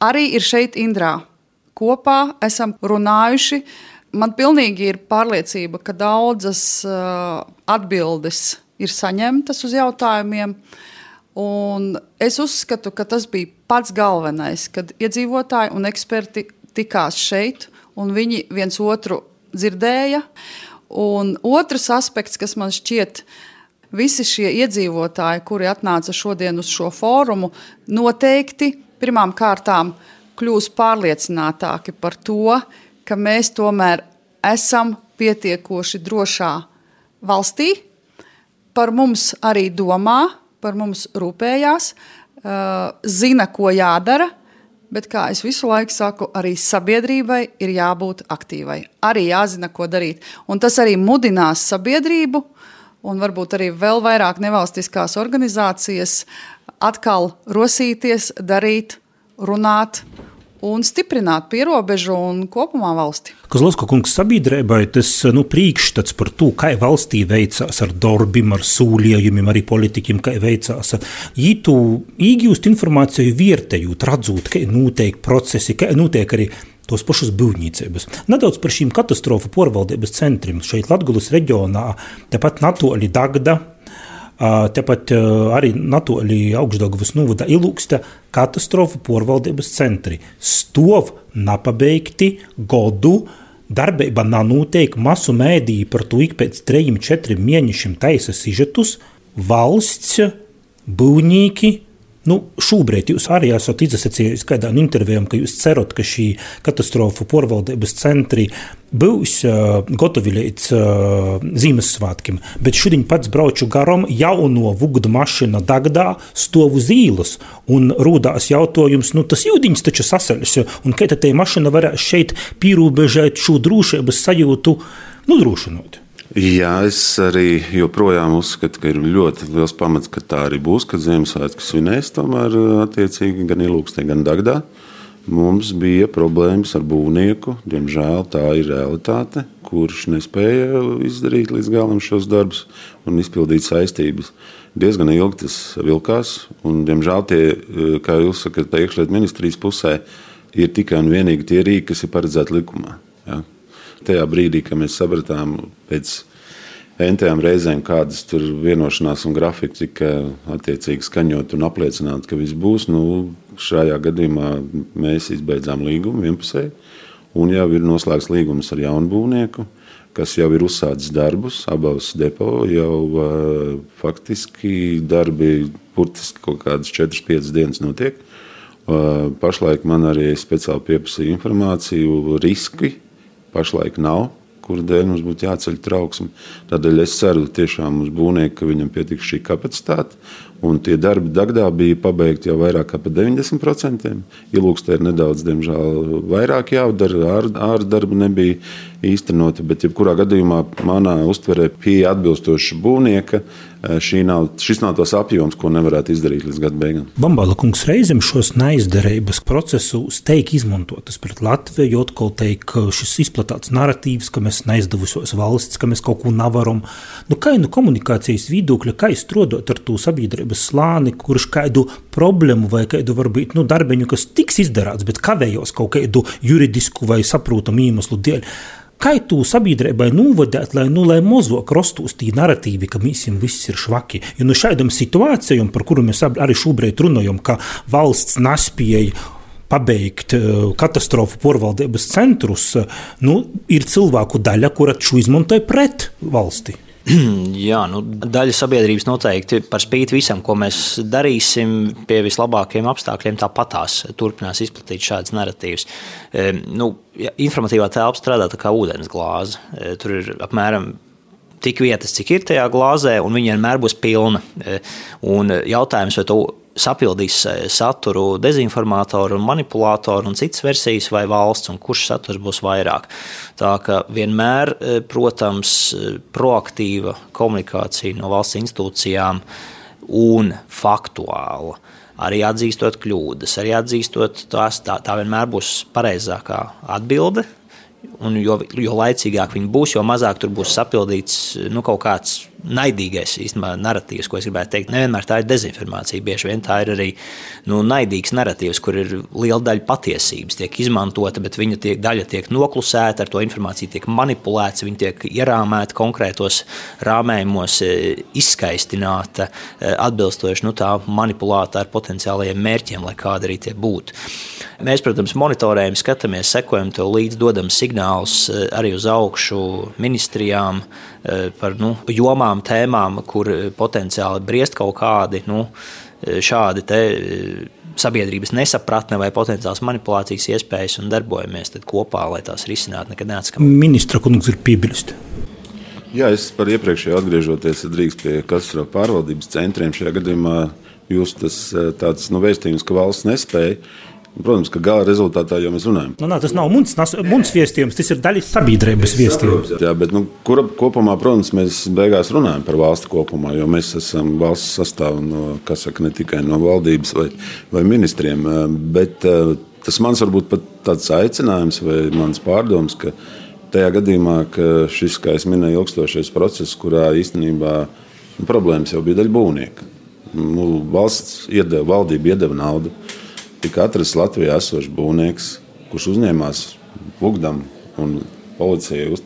arī ir šeit Indrā. Kopā esam runājuši. Man pilnīgi ir pārliecība, ka daudzas atbildes ir saņemtas uz jautājumiem, un es uzskatu, ka tas bija pats galvenais, kad iedzīvotāji un eksperti tikās šeit, un viņi viens otru dzirdēja. Un otrs aspekts, kas man šķiet, visi šie iedzīvotāji, kuri atnāca šodien uz šo fórumu, noteikti pirmām kārtām kļūs pārliecinātāki par to, ka mēs tomēr esam pietiekoši drošā valstī, par mums arī domā, par mums rūpējās, zina, ko jādara, bet, kā es visu laiku saku, arī sabiedrībai ir jābūt aktīvai. Arī jāzina, ko darīt. Un tas arī mudinās sabiedrību un varbūt arī vēl vairāk nevalstiskās organizācijas atkal rosīties, darīt, runāt un stiprināt pierobežu un kopumā valsti. Kozlovska kungs, sabiedrībai tas priekšstats par to, kā valstī veicās ar darbiem, ar sūliejumiem, arī politikiem, kā veicās. Ītu īgūst informāciju vērtējot, radzot, kā notiek procesi, kā notiek arī tos pašus būvniecības. Nedaudz par šīm katastrofu porvaldības centriem. Šeit Latgulas reģionā, tepat natoli Dagda, tepat arī natoli Augšdaugavas novada Ilūkste katastrofu porvaldības centri. Stov napabeigti godu, darbība nanotiek, masu mēdīji par to ik pēc 3-4 mēnešiem taisa sižetus, valsts, būvnieki. Šobrīd jūs arī esat izsacījis kādā intervijā, ka jūs cerat, ka šī katastrofu porvaldības centri būs gotovi līdz Ziemassvētkiem. Bet šodien pats brauču garom jauno vugdu mašina Dagdā stov uz ielas un rūdās jautājums, tas jūdiņš taču sasaļas, un kā tā mašina varēs šeit pīrūbežēt šo drošības sajūtu nodrošinot? Jā, es arī joprojām uzskatu, ka ir ļoti liels pamats, ka tā arī būs, kad Ziemassvētku svinēs tomēr attiecīgi gan Ilūkstē, gan Dagdā. Mums bija problēmas ar būvnieku, diemžēl tā ir realitāte, kurš nespēja izdarīt līdz galam šos darbus un izpildīt saistības. Diezgan ilgi tas vilkās, un diemžēl tie, kā jūs sakat, iekšlietu ministrijas pusē, ir tikai un vienīgi tie rīki, kas ir paredzēti likumā. Ja? Tajā brīdī, kad mēs sapratām pēc entējām reizēm, kādas tur vienošanās un grafiki tika attiecīgi skaņot un apliecināt, ka viss būs, šajā gadījumā mēs izbeidzām līgumu vienpusēji, un jau ir noslēgts līgums ar jaunu būvnieku, kas jau ir uzsācis darbus, abās depo jau faktiski darbi burtiski kaut kādas 4-5 dienas notiek. Pašlaik man arī speciāli pieprasīja informāciju, riski pašlaik nav, kuru dēļ mums būtu jāceļ trauksme. Tādēļ es ceru tiešām uz būvnieku, ka viņam pietiks šī kapacitāte. Un tie darbi Dagdā bija pabeigti jau vairāk kā pa 90%. Ilūkstē ir nedaudz, diemžēl, vairāk jādara, ārdarbi nebija īstenoti, bet jebkurā gadījumā manā uztverē pieeja atbilstoša būvnieka. Šis nav tos apjoms, ko nevarētu izdarīt līdz gada beigām. Bambala kungs, reizēm šos neizdarības procesus teik izmantotas pret Latviju, atkal teik šis izplatāts narratīvs, ka mēs neizdevusies valsts, ka mēs kaut ko nevaram. Kā komunikācijas viedokļa, kā strādāt ar to sabiedrības slāni, kurš kādu problēmu vai kādu varbūt darbiņu, kas tiks izdarāts, bet kavējos kaut kādu juridisku vai saprotamu iemeslu dēļ. Kā tu sabiedrībai novadāt, lai mazāk rostos tī narratīvi, ka mēs viss ir švaki? Jo šādam situācijam, par kuru mēs arī šobrīd runājam, ka valsts nespēja pabeigt katastrofu porvaldības centrus, ir cilvēku daļa, kura šo izmantoja pret valsti. Jā, daļa sabiedrības noteikti par spīti visam, ko mēs darīsim, pie vislabākajiem apstākļiem tāpatās turpinās izplatīt šādas narratīvas. Informatīvā telpa strādā tā kā ūdens glāze. Tur ir apmēram tik vietas, cik ir tajā glāzē, un viņa vienmēr būs pilna. Un jautājums, vai to sapildīs saturu dezinformātori un manipulātori un citas versijas vai valsts, un kurš saturs būs vairāk. Tā ka vienmēr, protams, proaktīva komunikācija no valsts institūcijām un faktuāla, arī atzīstot kļūdas, arī atzīstot tās, tā vienmēr būs pareizākā atbilde. Un jo laicīgāk viņi būs, jo mazāk tur būs sapildīts kaut kāds naidīgais īstenībā narratīvs, ko es gribētu teikt. Nevienmēr tā ir dezinformācija, bieži vien tā ir arī naidīgs narratīvs, kur ir liela daļa patiesības tiek izmantota, bet viņa daļa tiek noklusēta, ar to informāciju tiek manipulēts, viņa tiek ierāmēta konkrētos rāmējumos, izskaistināta, atbilstoši tā manipulēta ar potenciālajiem mērķiem, lai kādi arī tie būtu. Mēs, protams, monitorējam, skatāmies, sekojam to līdz, dodam signālus arī uz augšu ministrijām par jomām, tēmām, kur potenciāli briest kaut kādi šādi te sabiedrības nesapratne vai potenciāls manipulācijas iespējas un darbojamies tad kopā, lai tās risinātu, nekad neatskam. Ministra kungs ir piebilst. Jā, es par iepriekšēju atgriežoties drīkst pie katastrofu pārvaldības centriem. Šajā gadījumā jūs tas tāds vēstījums, ka valsts nespēja. Protams, ka gala rezultātā jau mēs runājam. Tas nav muns viestījums, tas ir daļa sabiedrības viestījums. Jā, bet kopumā, protams, mēs beigās runājam par valsti kopumā, jo mēs esam valsts sastāvu ne tikai no valdības vai ministriem, bet tas mans varbūt pat tāds aicinājums vai mans pārdoms, ka tajā gadījumā, ka šis, kā es minēju, ilgstošais process, kurā īstenībā problēmas jau bija daļa būvnieka. Valdība iedeva naudu. Tika atrasts Latvijā esošs būvnieks, kurš uzņēmās Bugdam un policijai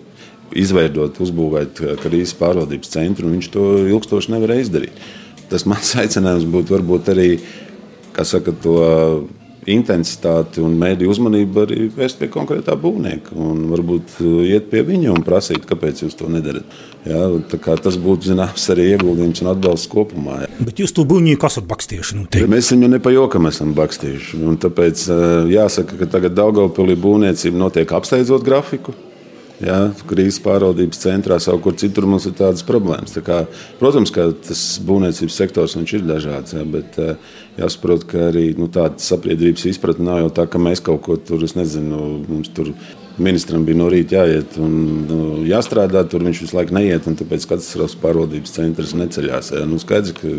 izveidot, uzbūvēt krīzes pārvaldības centru, un viņš to ilgstoši nevarēja izdarīt. Tas mans aicinājums būtu varbūt arī, kā saka, to intensitāti un mēdīju uzmanību arī vērst pie konkrētā būvnieka un varbūt iet pie viņa un prasīt, kāpēc jūs to nedarat. Jā, tā kā tas būtu, zināms, arī ieguldījums un atbalsts kopumā. Jā. Bet jūs to būvnieku esat bakstījuši noteikti? Mēs viņu nepajokam esam bakstījuši. Un tāpēc jāsaka, ka tagad Daugavpilī būvniecība notiek apsteidzot grafiku. Jā, krīzes pārvaldības centrā, savukārt citur mums ir tādas problēmas. Tā kā, protams, ka tas būvniecības sektors viņš ir dažāds, jā, bet jāsaprot, ka arī tāda sabiedrības izpratne nav jau tā, ka mēs kaut ko tur, es nezinu, mums tur ministram bija no rīta jāiet un jāstrādā, tur viņš visu laiku neiet, un tāpēc katastrófas pārvaldības centrs neceļās. Jā. Skaidrs, ka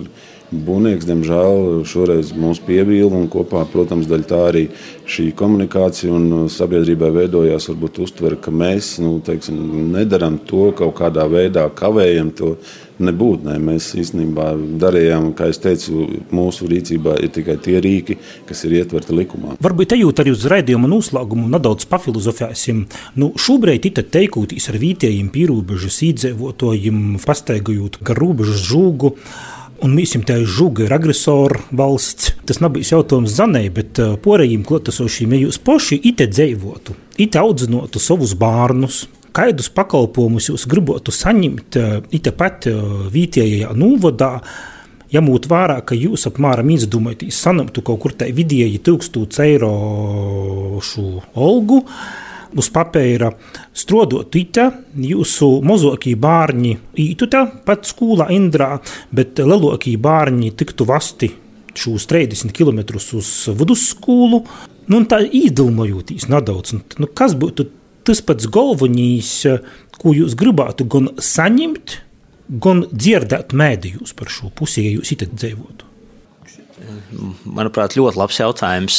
būvnieks, diemžēl, šoreiz mūs pievīla un kopā, protams, daļa tā arī šī komunikācija un sabiedrībai veidojās varbūt uztver, ka mēs nedaram to kaut kādā veidā, kavējam to nebūt. Ne. Mēs īstenībā darījām, kā es teicu, mūsu rīcībā ir tikai tie rīki, kas ir ietverti likumā. Varbūt ejot arī uz raidījuma noslēgumu nedaudz pafilozofēsim. Šobrīd ir teikūtīs ar vietējiem pīrūbežas īdzīvotājiem, pastaigājot gar robežas žūgu. Un mēs te žuga ir agresora valsts. Tas nebija jautājums Zanei, bet porējiem klotasošiem, ja jūs poši ite dzeivotu, ite audzinotu savus bārnus, kādus pakalpojumus jūs gribotu saņemt ite pat vietējā novadā, jamūt vērā, ka jūs apmēram izdomājatīs saņemtu kaut kur tai vidēji 1000 eiro šo olgu, uz papēra strodot ite, jūsu mozokī bārņi ītu te pat skolā Indrā, bet lielokī bārņi tiktu vasti šūs 30 km uz vidusskolu. Un tā īdilmojotīs nedaudz. Kas būtu tas pats galvenīs, ko jūs gribētu gan saņemt, gan dzirdēt mēdījus par šo pusi, ja jūs ite dzīvotu? Manuprāt, ļoti labs jautājums.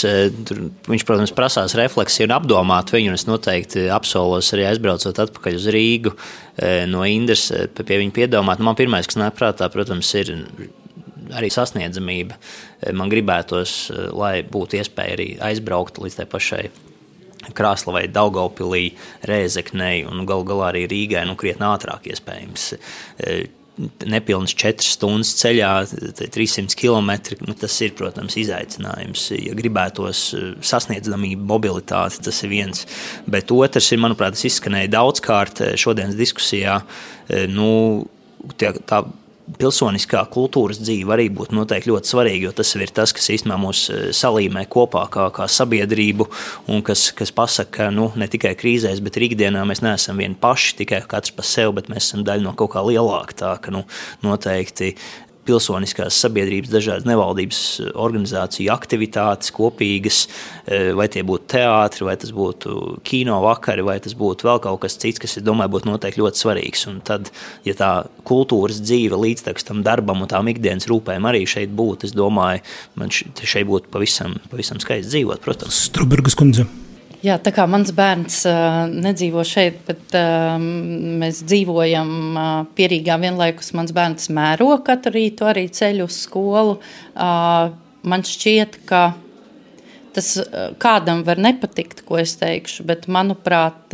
Viņš, protams, prasās refleksiju un apdomāt viņu, un es noteikti apsolos arī aizbraucot atpakaļ uz Rīgu no Indras pie viņa piedomāt. Man pirmais, kas nāk prātā, protams, ir arī sasniedzamība. Man gribētos, lai būtu iespēja arī aizbraukt līdz tai pašai Krāslavai, Daugavpilī, Rēzeknei un galu galā arī Rīgai, krietni ātrāk iespējams. Nepilnas 4 stundas ceļā, 300 km, tas ir, protams, izaicinājums. Ja gribētos sasniedzamība, mobilitāte, tas ir viens. Bet otrs ir, manuprāt, tas izskanēja daudzkārt šodienas diskusijā, tā pilsoniskā kultūras dzīve arī būtu noteikti ļoti svarīga, jo tas ir tas, kas īstenībā mūs salīmē kopā kā sabiedrību un kas pasaka, ka ne tikai krīzēs, bet arī ikdienā mēs neesam vieni paši, tikai katrs pa sevi, bet mēs esam daļa no kaut kā lielāka. Tā ka noteikti pilsoniskās sabiedrības dažādas nevaldības organizāciju aktivitātes kopīgas, vai tie būtu teātri, vai tas būtu kino vakari, vai tas būtu vēl kaut kas cits, kas, es domāju, būtu noteikti ļoti svarīgs. Un tad, ja tā kultūras dzīve līdztekus tam darbam un tām ikdienas rūpēm arī šeit būtu, es domāju, man šeit būtu pavisam skaisti dzīvot, protams. Strubergas kundze. Jā, tā kā mans bērns nedzīvo šeit, bet mēs dzīvojam Pierīgā vienlaikus. Mans bērns mēro katru rītu arī ceļu uz skolu. Man šķiet, ka tas kādam var nepatikt, ko es teikšu, bet manuprāt,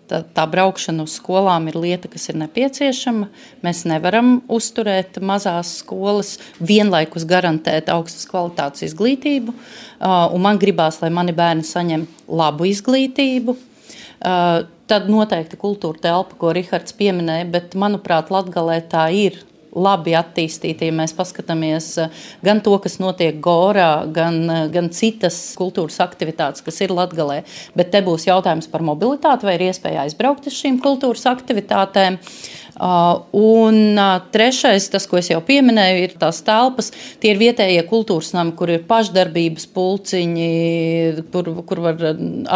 tā braukšana uz skolām ir lieta, kas ir nepieciešama. Mēs nevaram uzturēt mazās skolas, vienlaikus garantēt augstas kvalitātes izglītību, un man gribās, lai mani bērni saņem labu izglītību. Tad noteikti kultūra telpa, ko Rihards pieminēja, bet manuprāt, Latgalē tā ir labi attīstīti, ja mēs paskatāmies gan to, kas notiek Gorā, gan citas kultūras aktivitātes, kas ir Latgalē. Bet te būs jautājums par mobilitāti, vai ir iespēja aizbraukt uz šīm kultūras aktivitātēm. Un trešais, tas, ko es jau pieminēju, ir tās telpas. Tie ir vietējie kultūras nami, kur ir pašdarbības pulciņi, kur var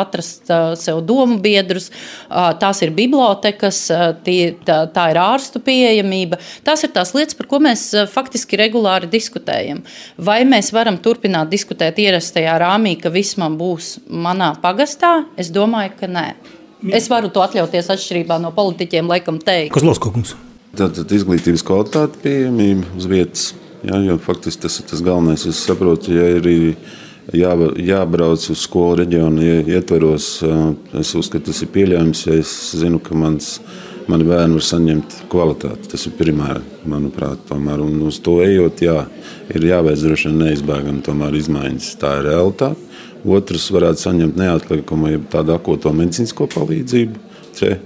atrast sev domu biedrus. Tās ir bibliotekas, tā ir ārstu pieejamība. Tās ir tās lietas, par ko mēs faktiski regulāri diskutējam. Vai mēs varam turpināt diskutēt ierastajā rāmī, ka viss man būs manā pagastā? Es domāju, ka nē. Es varu to atļauties atšķirībā no politiķiem, laikam teikt. Kozlovskis. Tātad izglītības kvalitāte, pieejamība uz vietas. Jā, jo faktiski tas ir tas galvenais. Es saprotu, ja ir jābrauc uz skolu reģionu ietveros. Es uzskatu, tas ir pieļaujams, ja es zinu, ka mani bērni var saņemt kvalitāti. Tas ir primāri, manuprāt, tomēr. Un uz to ejot, ir jāveic droši vien neizbēgami tomēr izmaiņas. Tā ir realitāte. Otrs varētu saņemt neatliekumu, ja tādu akoto medicīnisko palīdzību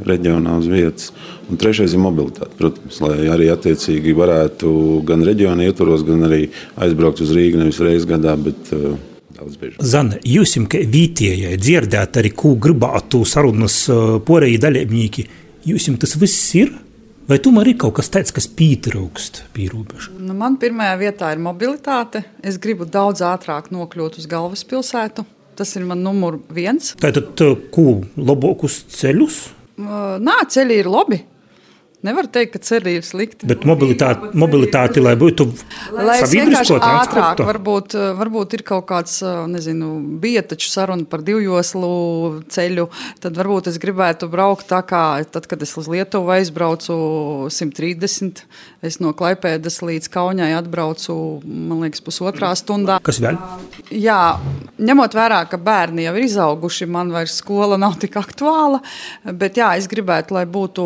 reģionā uz vietas. Un trešais ir mobilitāte, protams, lai arī attiecīgi varētu gan reģiona ietvaros, gan arī aizbraukt uz Rīgu nevis reizi gadā, bet daudz biežāk. Zane, jūsim, ka vietējai dzirdēt arī, ko gribētu sarunas porēji dalībnieki, jūsim tas viss ir? Vai tomēr ir kaut kas tāds, kas pietrūkst pie robeža? Man pirmajā vietā ir mobilitāte. Es gribu daudz ātrāk nokļūt uz galvaspilsētu. Tas ir man numur 1. Tātad, ko labākus ceļus? Nā, ceļi ir labi. Nevar teikt, ka ceļi ir slikti. Bet mobilitāte lai būtu sabiedrisko transportu? Varbūt ir kaut kāds, bija taču saruna par 2-joslu ceļu. Tad varbūt es gribētu braukt tā kā, tad, kad es uz Lietuvu aizbraucu 130, es no Klaipēdas līdz Kaunijai atbraucu, man liekas, 1,5 stundā. Kas vēl? Jā, ņemot vērā, ka bērni jau ir izauguši, man vairs skola nav tik aktuāla, bet jā, es gribētu, lai būtu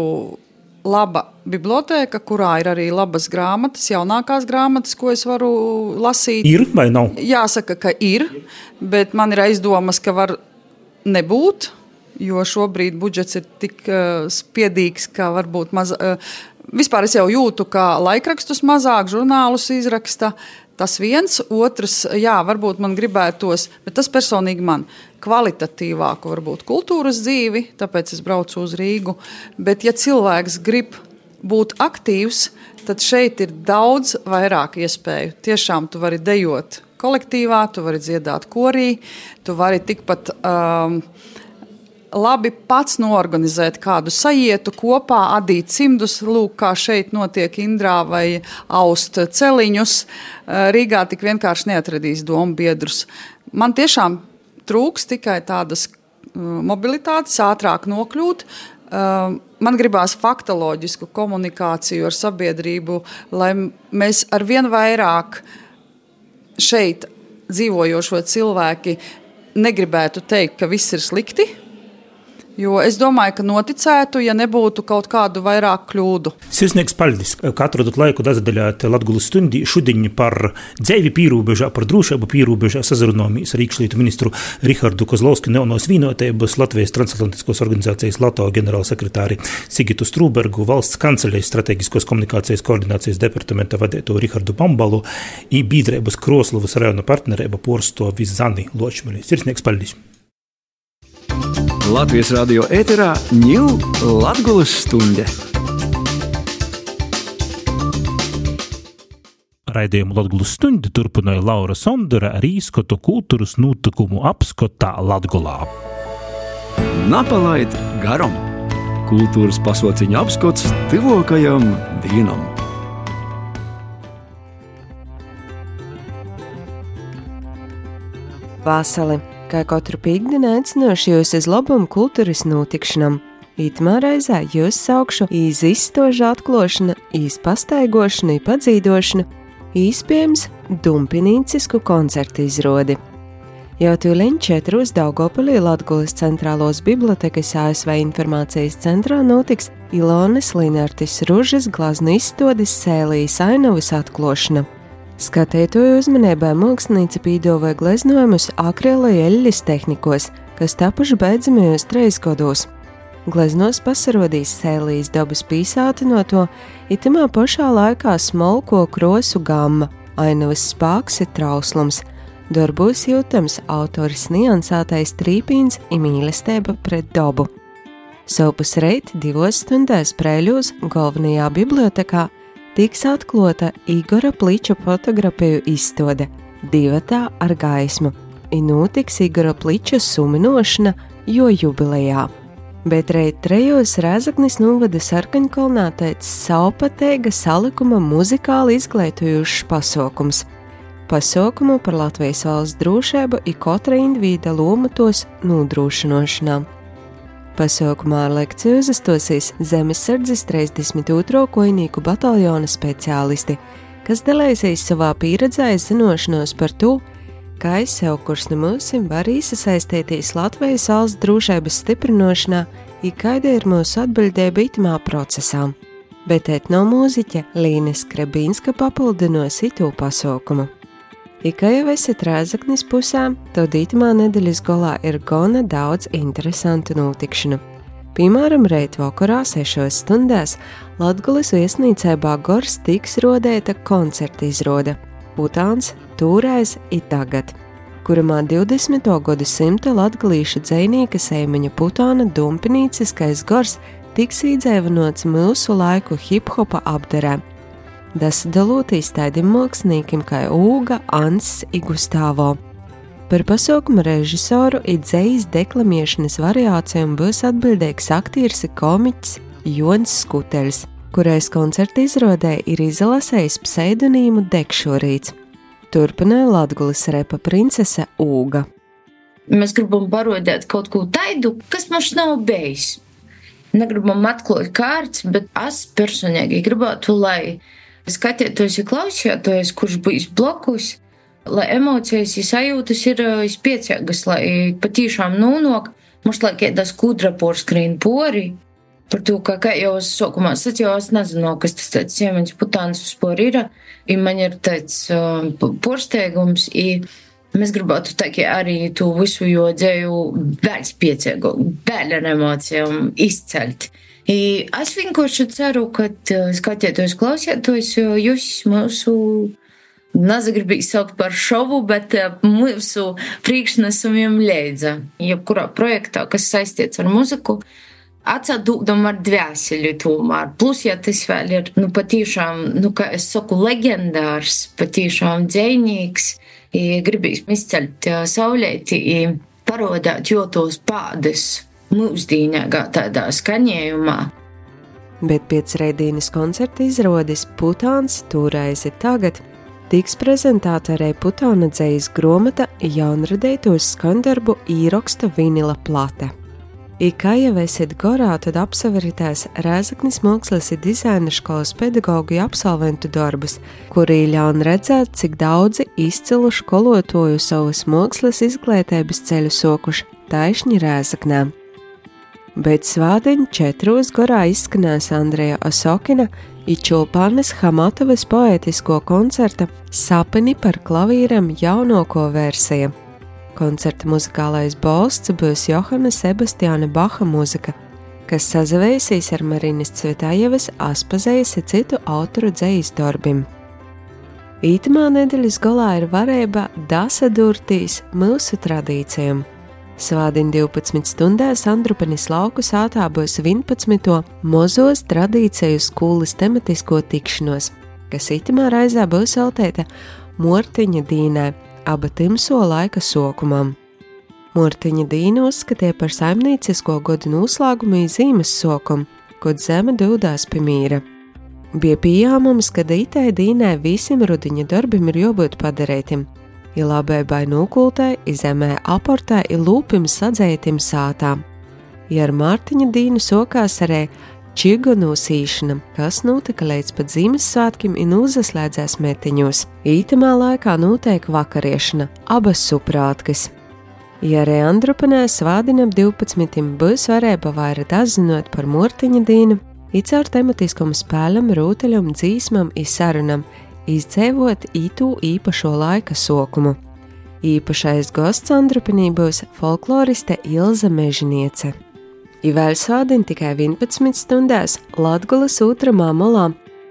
laba bibliotēka, kurā ir arī labas grāmatas, jaunākās grāmatas, ko es varu lasīt. Ir vai nav? Jāsaka, ka ir, bet man ir aizdomas, ka var nebūt, jo šobrīd budžets ir tik spiedīgs, ka varbūt vispār es jau jūtu, ka laikrakstus mazāk, žurnālus izraksta. Tas viens, otrs, jā, varbūt man gribētos, bet tas personīgi man kvalitatīvāku varbūt kultūras dzīvi, tāpēc es braucu uz Rīgu. Bet ja cilvēks grib būt aktīvs, tad šeit ir daudz vairāk iespēju. Tiešām tu vari dejot kolektīvā, tu vari dziedāt korī, tu vari tikpat labi pats noorganizēt kādu sajietu kopā, adīt cimdus, lūk, kā šeit notiek Indrā vai aust celiņus. Rīgā tik vienkārši neatradīs domu biedrus. Man tiešām trūks tikai tādas mobilitātes, ātrāk nokļūt. Man gribās faktoloģisku komunikāciju ar sabiedrību, lai mēs arvien vairāk šeit dzīvojošo cilvēki negribētu teikt, ka viss ir slikti. Jo es domāju, ka noticētu, ja nebūtu kaut kādu vairāk kļūdu. Sirsnieks paldies, ka atradot laiku dazaļāt Latgulas stundī šodien par dzēvi pīrūbežā, par drūšību pīrūbežā sazarunāmies ar iekšlietu ministru Rihardu Kozlovski, Jaunos Vienotības, Latvijas transatlantiskos organizācijas LATO ģenerālsekretāri Sigitu Strūbergu, valsts kanceļas strateģiskos komunikācijas koordinācijas departamenta vadēto Rihardu Bambalu i Bīdrēbas Kroslavas rajona partnerēba porstovi Zani Ločmeli. Sirsnieks paldies! Latvijas radio ēterā Ņū Latgulas stunde. Raidījumu Latgulas stundi turpināja Laura Sondera ar īskotu kultūras notikumu apskotā Latgulā. Napalaid garam. Kultūras pasauciņa apskots tuvākajam dienam. Vasali. Kā katru pīkdienu aicinošu jūs uz labumu kultūras notikšanam. Itamā reizē jūs saukšu iz izstožu atklošana, iz pastaigošana, padzīdošana, īspējams dumpinīcisku koncertu izrodi. Jau tūliņ 4 Daugavpilī Latgulas centrālos bibliotekas ASV informācijas centrā notiks Ilonas Linartis Ružas glaznu izstādes Sēlijas ainavas atklošana. Skatītāju uzmanībai mākslinieca pīdāvāja gleznojumus akrila eļļas tehnikos, kas tapuši beidzamajos 3 gados. Gleznos pasarodīs Sēlijas dabas pīsātinoto, itamā pašā laikā smalko krosu gamma, ainavas spāks ir trauslums. Darbos jūtams autors niansētais trīpīns i mīlestība pret dabu. Sopus reit 2 stundās Prēļos galvenajā bibliotekā tiks atklāta Igora Pliča fotografiju izstāde Divatā ar gaismu, i notiks Igora Pliča suminošana jo jubilejā. Bet reit 3 Rēzaknis novada Sarkaņkalnā teica savpateiga salikuma muzikāli izglītojošs pasaukums. Pasaukumu par Latvijas valsts drošību i katra individa lomu tos nodrošinošanā. Pasaukumā ar lekciju uzastosies Zemesardzes 32. kojnieku bataljona speciālisti, kas dalīsies savā pieredzē zinošanos par to, kā sev kurs no mūsim var iesaistīties Latvijas valsts drošības stiprinošanā, i kāda ir mūsu atbildība itamā procesā. Bet etnomūziķe Līne Skrebīnska papildinos itū pasaukumu. I kā jau esat Rēzaknis pusē, tad itamā nedēļas golā ir gana daudz interesantu notikšanu. Piemēram, reit vakarā 6 stundās Latgulis viesnīcībā Gors tiks rodēta koncerta izrāde Putāns Tūrais i tagad, kurumā 20. gadsimta latgalīšu dzejnieka Seimeņa Putāna dumpinīciskais Gors tiks īdzēvanots mūsu laiku hip-hopa apdarē. Dasadalūtīs taidim māksliniekiem kā Ūga, Ants i Gustavo. Par pasaukumu režisoru i dzejas deklamiešanas variācijām būs atbildīgs aktieris i komiķis Jons Skuteļs, kurais koncerta izrādē ir izlasējis pseidonīmu Dekšorīts. Turpināja Latgulis repa princese Ūga. Mēs gribam parodēt kaut ko taidu, kas mums nav bijis. Negribam atklāt kārts, bet es personīgi gribētu, lai skatietos i klausietos, kurš bijis blokus, lai emocijas i sajūtas ir spiecīgas, lai patīšām nūnok, mums lai kēdas kudra porskrīn pori, par to, ka, kā jau es sokumā sacīju, es nezinu, kas tas tāds Seimeņš Putāns vispār ir, i man ir tāds porsteigums, i mēs gribētu tā, arī to visu jo dzēju vēl spiecīgu, vēl ar emocijām izcelt. I es vienkārši ceru, ka skatietos, klausietos, jūs mūsu nezagribīgi saukt par šovu, bet mūsu priekšnesumiem leidza. Jebkurā projektā, kas saistīts ar muziku, atsadūdam ar dvēseli tomēr. Plus, ja tas vēl ir, patīšām, kā es saku, legendārs, patīšām dzejnīgs, gribīs izceļt saulēti, parodāt jotos pādes mūsdīnākā tādā skaņējumā. Bet pēc reidīnas koncerta izrādes Putāns Tūrais i tagad tiks prezentēta arī Putāna dzejas gromata jaunradētos skandarbu īroksta vinila plate. I kā jau esat gorā, tad apsaveritēs Rēzaknis mākslas i dizaina skolas pedagogu absolventu darbus, kuri ļaun redzēt, cik daudzi izcilu skolotoju savas mākslas izglītības ceļu sokuši taišņi Rēzaknē. Bet svādiņ 4 gorā izskanēs Andreja Osokina i Čulpānes Hamatovas poētisko koncerta Sapni par klavīrem jaunoko versija. Koncerta muzikālais balsts būs Johana Sebastiāna Baha muzika, kas sazavēsīs ar Marinas Cvetājevas Aspazejas i citu autoru dzejas darbim. Ītamā nedēļas golā ir varēba dasadurtīs mūsu tradīcijām. Svādiņ 12 stundās Andrupenis lauku sātā būs 11. Mozos tradīciju skolas tematisko tikšanos, kas itamā raizā būs veltēta Mortiņa dīnai, aba timso laika sokumam. Mortiņa dīna uzskatīja par saimniecisko godu noslēgumu i zīmes sokumu, kod zeme dūdās pie mīra. Bija pieņēmums, ka itai dīnai visiem rudiņa darbim ir jābūt padarētim, i labēbai nūkultai, i zemē aportai, i lūpim sadzētim sātām. I ar Mārtiņa dīnu sokās arī čigu nūsīšana, kas notika līdz pat Ziemassvētkiem i nūzaslēdzēs metiņos. Ītamā laikā notiek vakariešana, abas suprātkas. I arī Andrupenē svādinam 12. būs varēba vairāk atzinot par Mārtiņa dīnu, i caur tematiskam spēlam, rūteļam, dzīsmam i sarunam, izdzēvot ītū īpašo laika sokumu. Īpašais gosts Andrupenī būs folkloriste Ilza Mežiniece. I vēl svādiņ tikai 11 stundās Latgulas ūtramā molā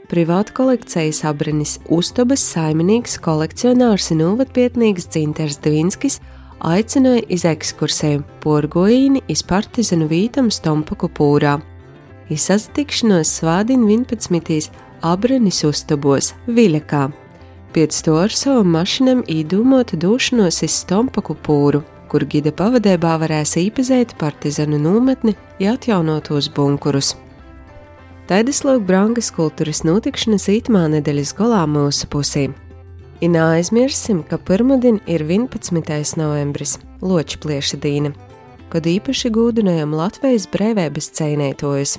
privāta kolekcijas Abrinis Ustobas saimnieks kolekcionārs un novatpietnīgs Dzinters Dvinskis aicināja iz ekskursēm Porgojīni iz partizanu vītam Stompaku pūrā. I sazatikšanos svādiņ 11. Abrinis Ustobos, Viļakā. Pēc to ar savam mašinam īdūmota došanos iz Stompaku pūru, kur gida pavadībā varēs īpazēt partizanu nometni i atjaunotos bunkurus. Taidas lūk brangas kultūras notikšanas ītamā nedēļas golā mūsu pusī. I neaizmirsim, ka pirmdien ir 11. novembris, Ločplieša dīna, kad īpaši gūdinājam Latvijas brēvības ceinētojus.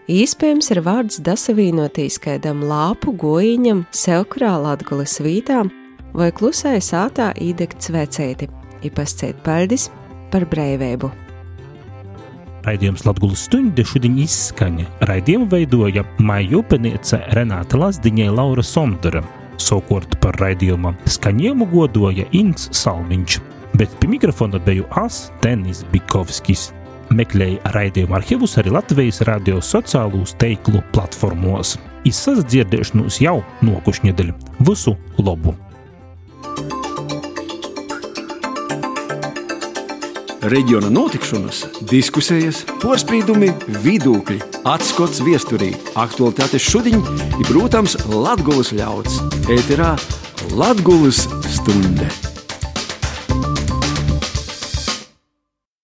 Īspējams ir vārds dasavīnotīs kaidam lāpu gojiņam Sevkurā Latgulas vītā, vai klusai sātā īdegt svecēti, i pascēt paļdis par breiveibu. Raidījums Latgulas stunde šodien izskaņa. Raidījumu veidoja Maija upeniece Renāta Lazdiņa, Laura Sondara. Sokort par raidījuma skaņējumu godoja Ints Salmiņš, bet pie mikrofona beju Tenis Bikovskis. Meklēja raidījumu arhivus arī Latvijas radio sociālūs teiklu platformos. Izsadzirdēšanos jau nokušņedeļ. Visu lobu! Reģiona notikšanas, diskusijas, porspīdumi, vidūkļi, atskots viesturī, aktualitātes šodiņ ir, protams, Latgulas ļauds. Ēterā Latgulas stunde.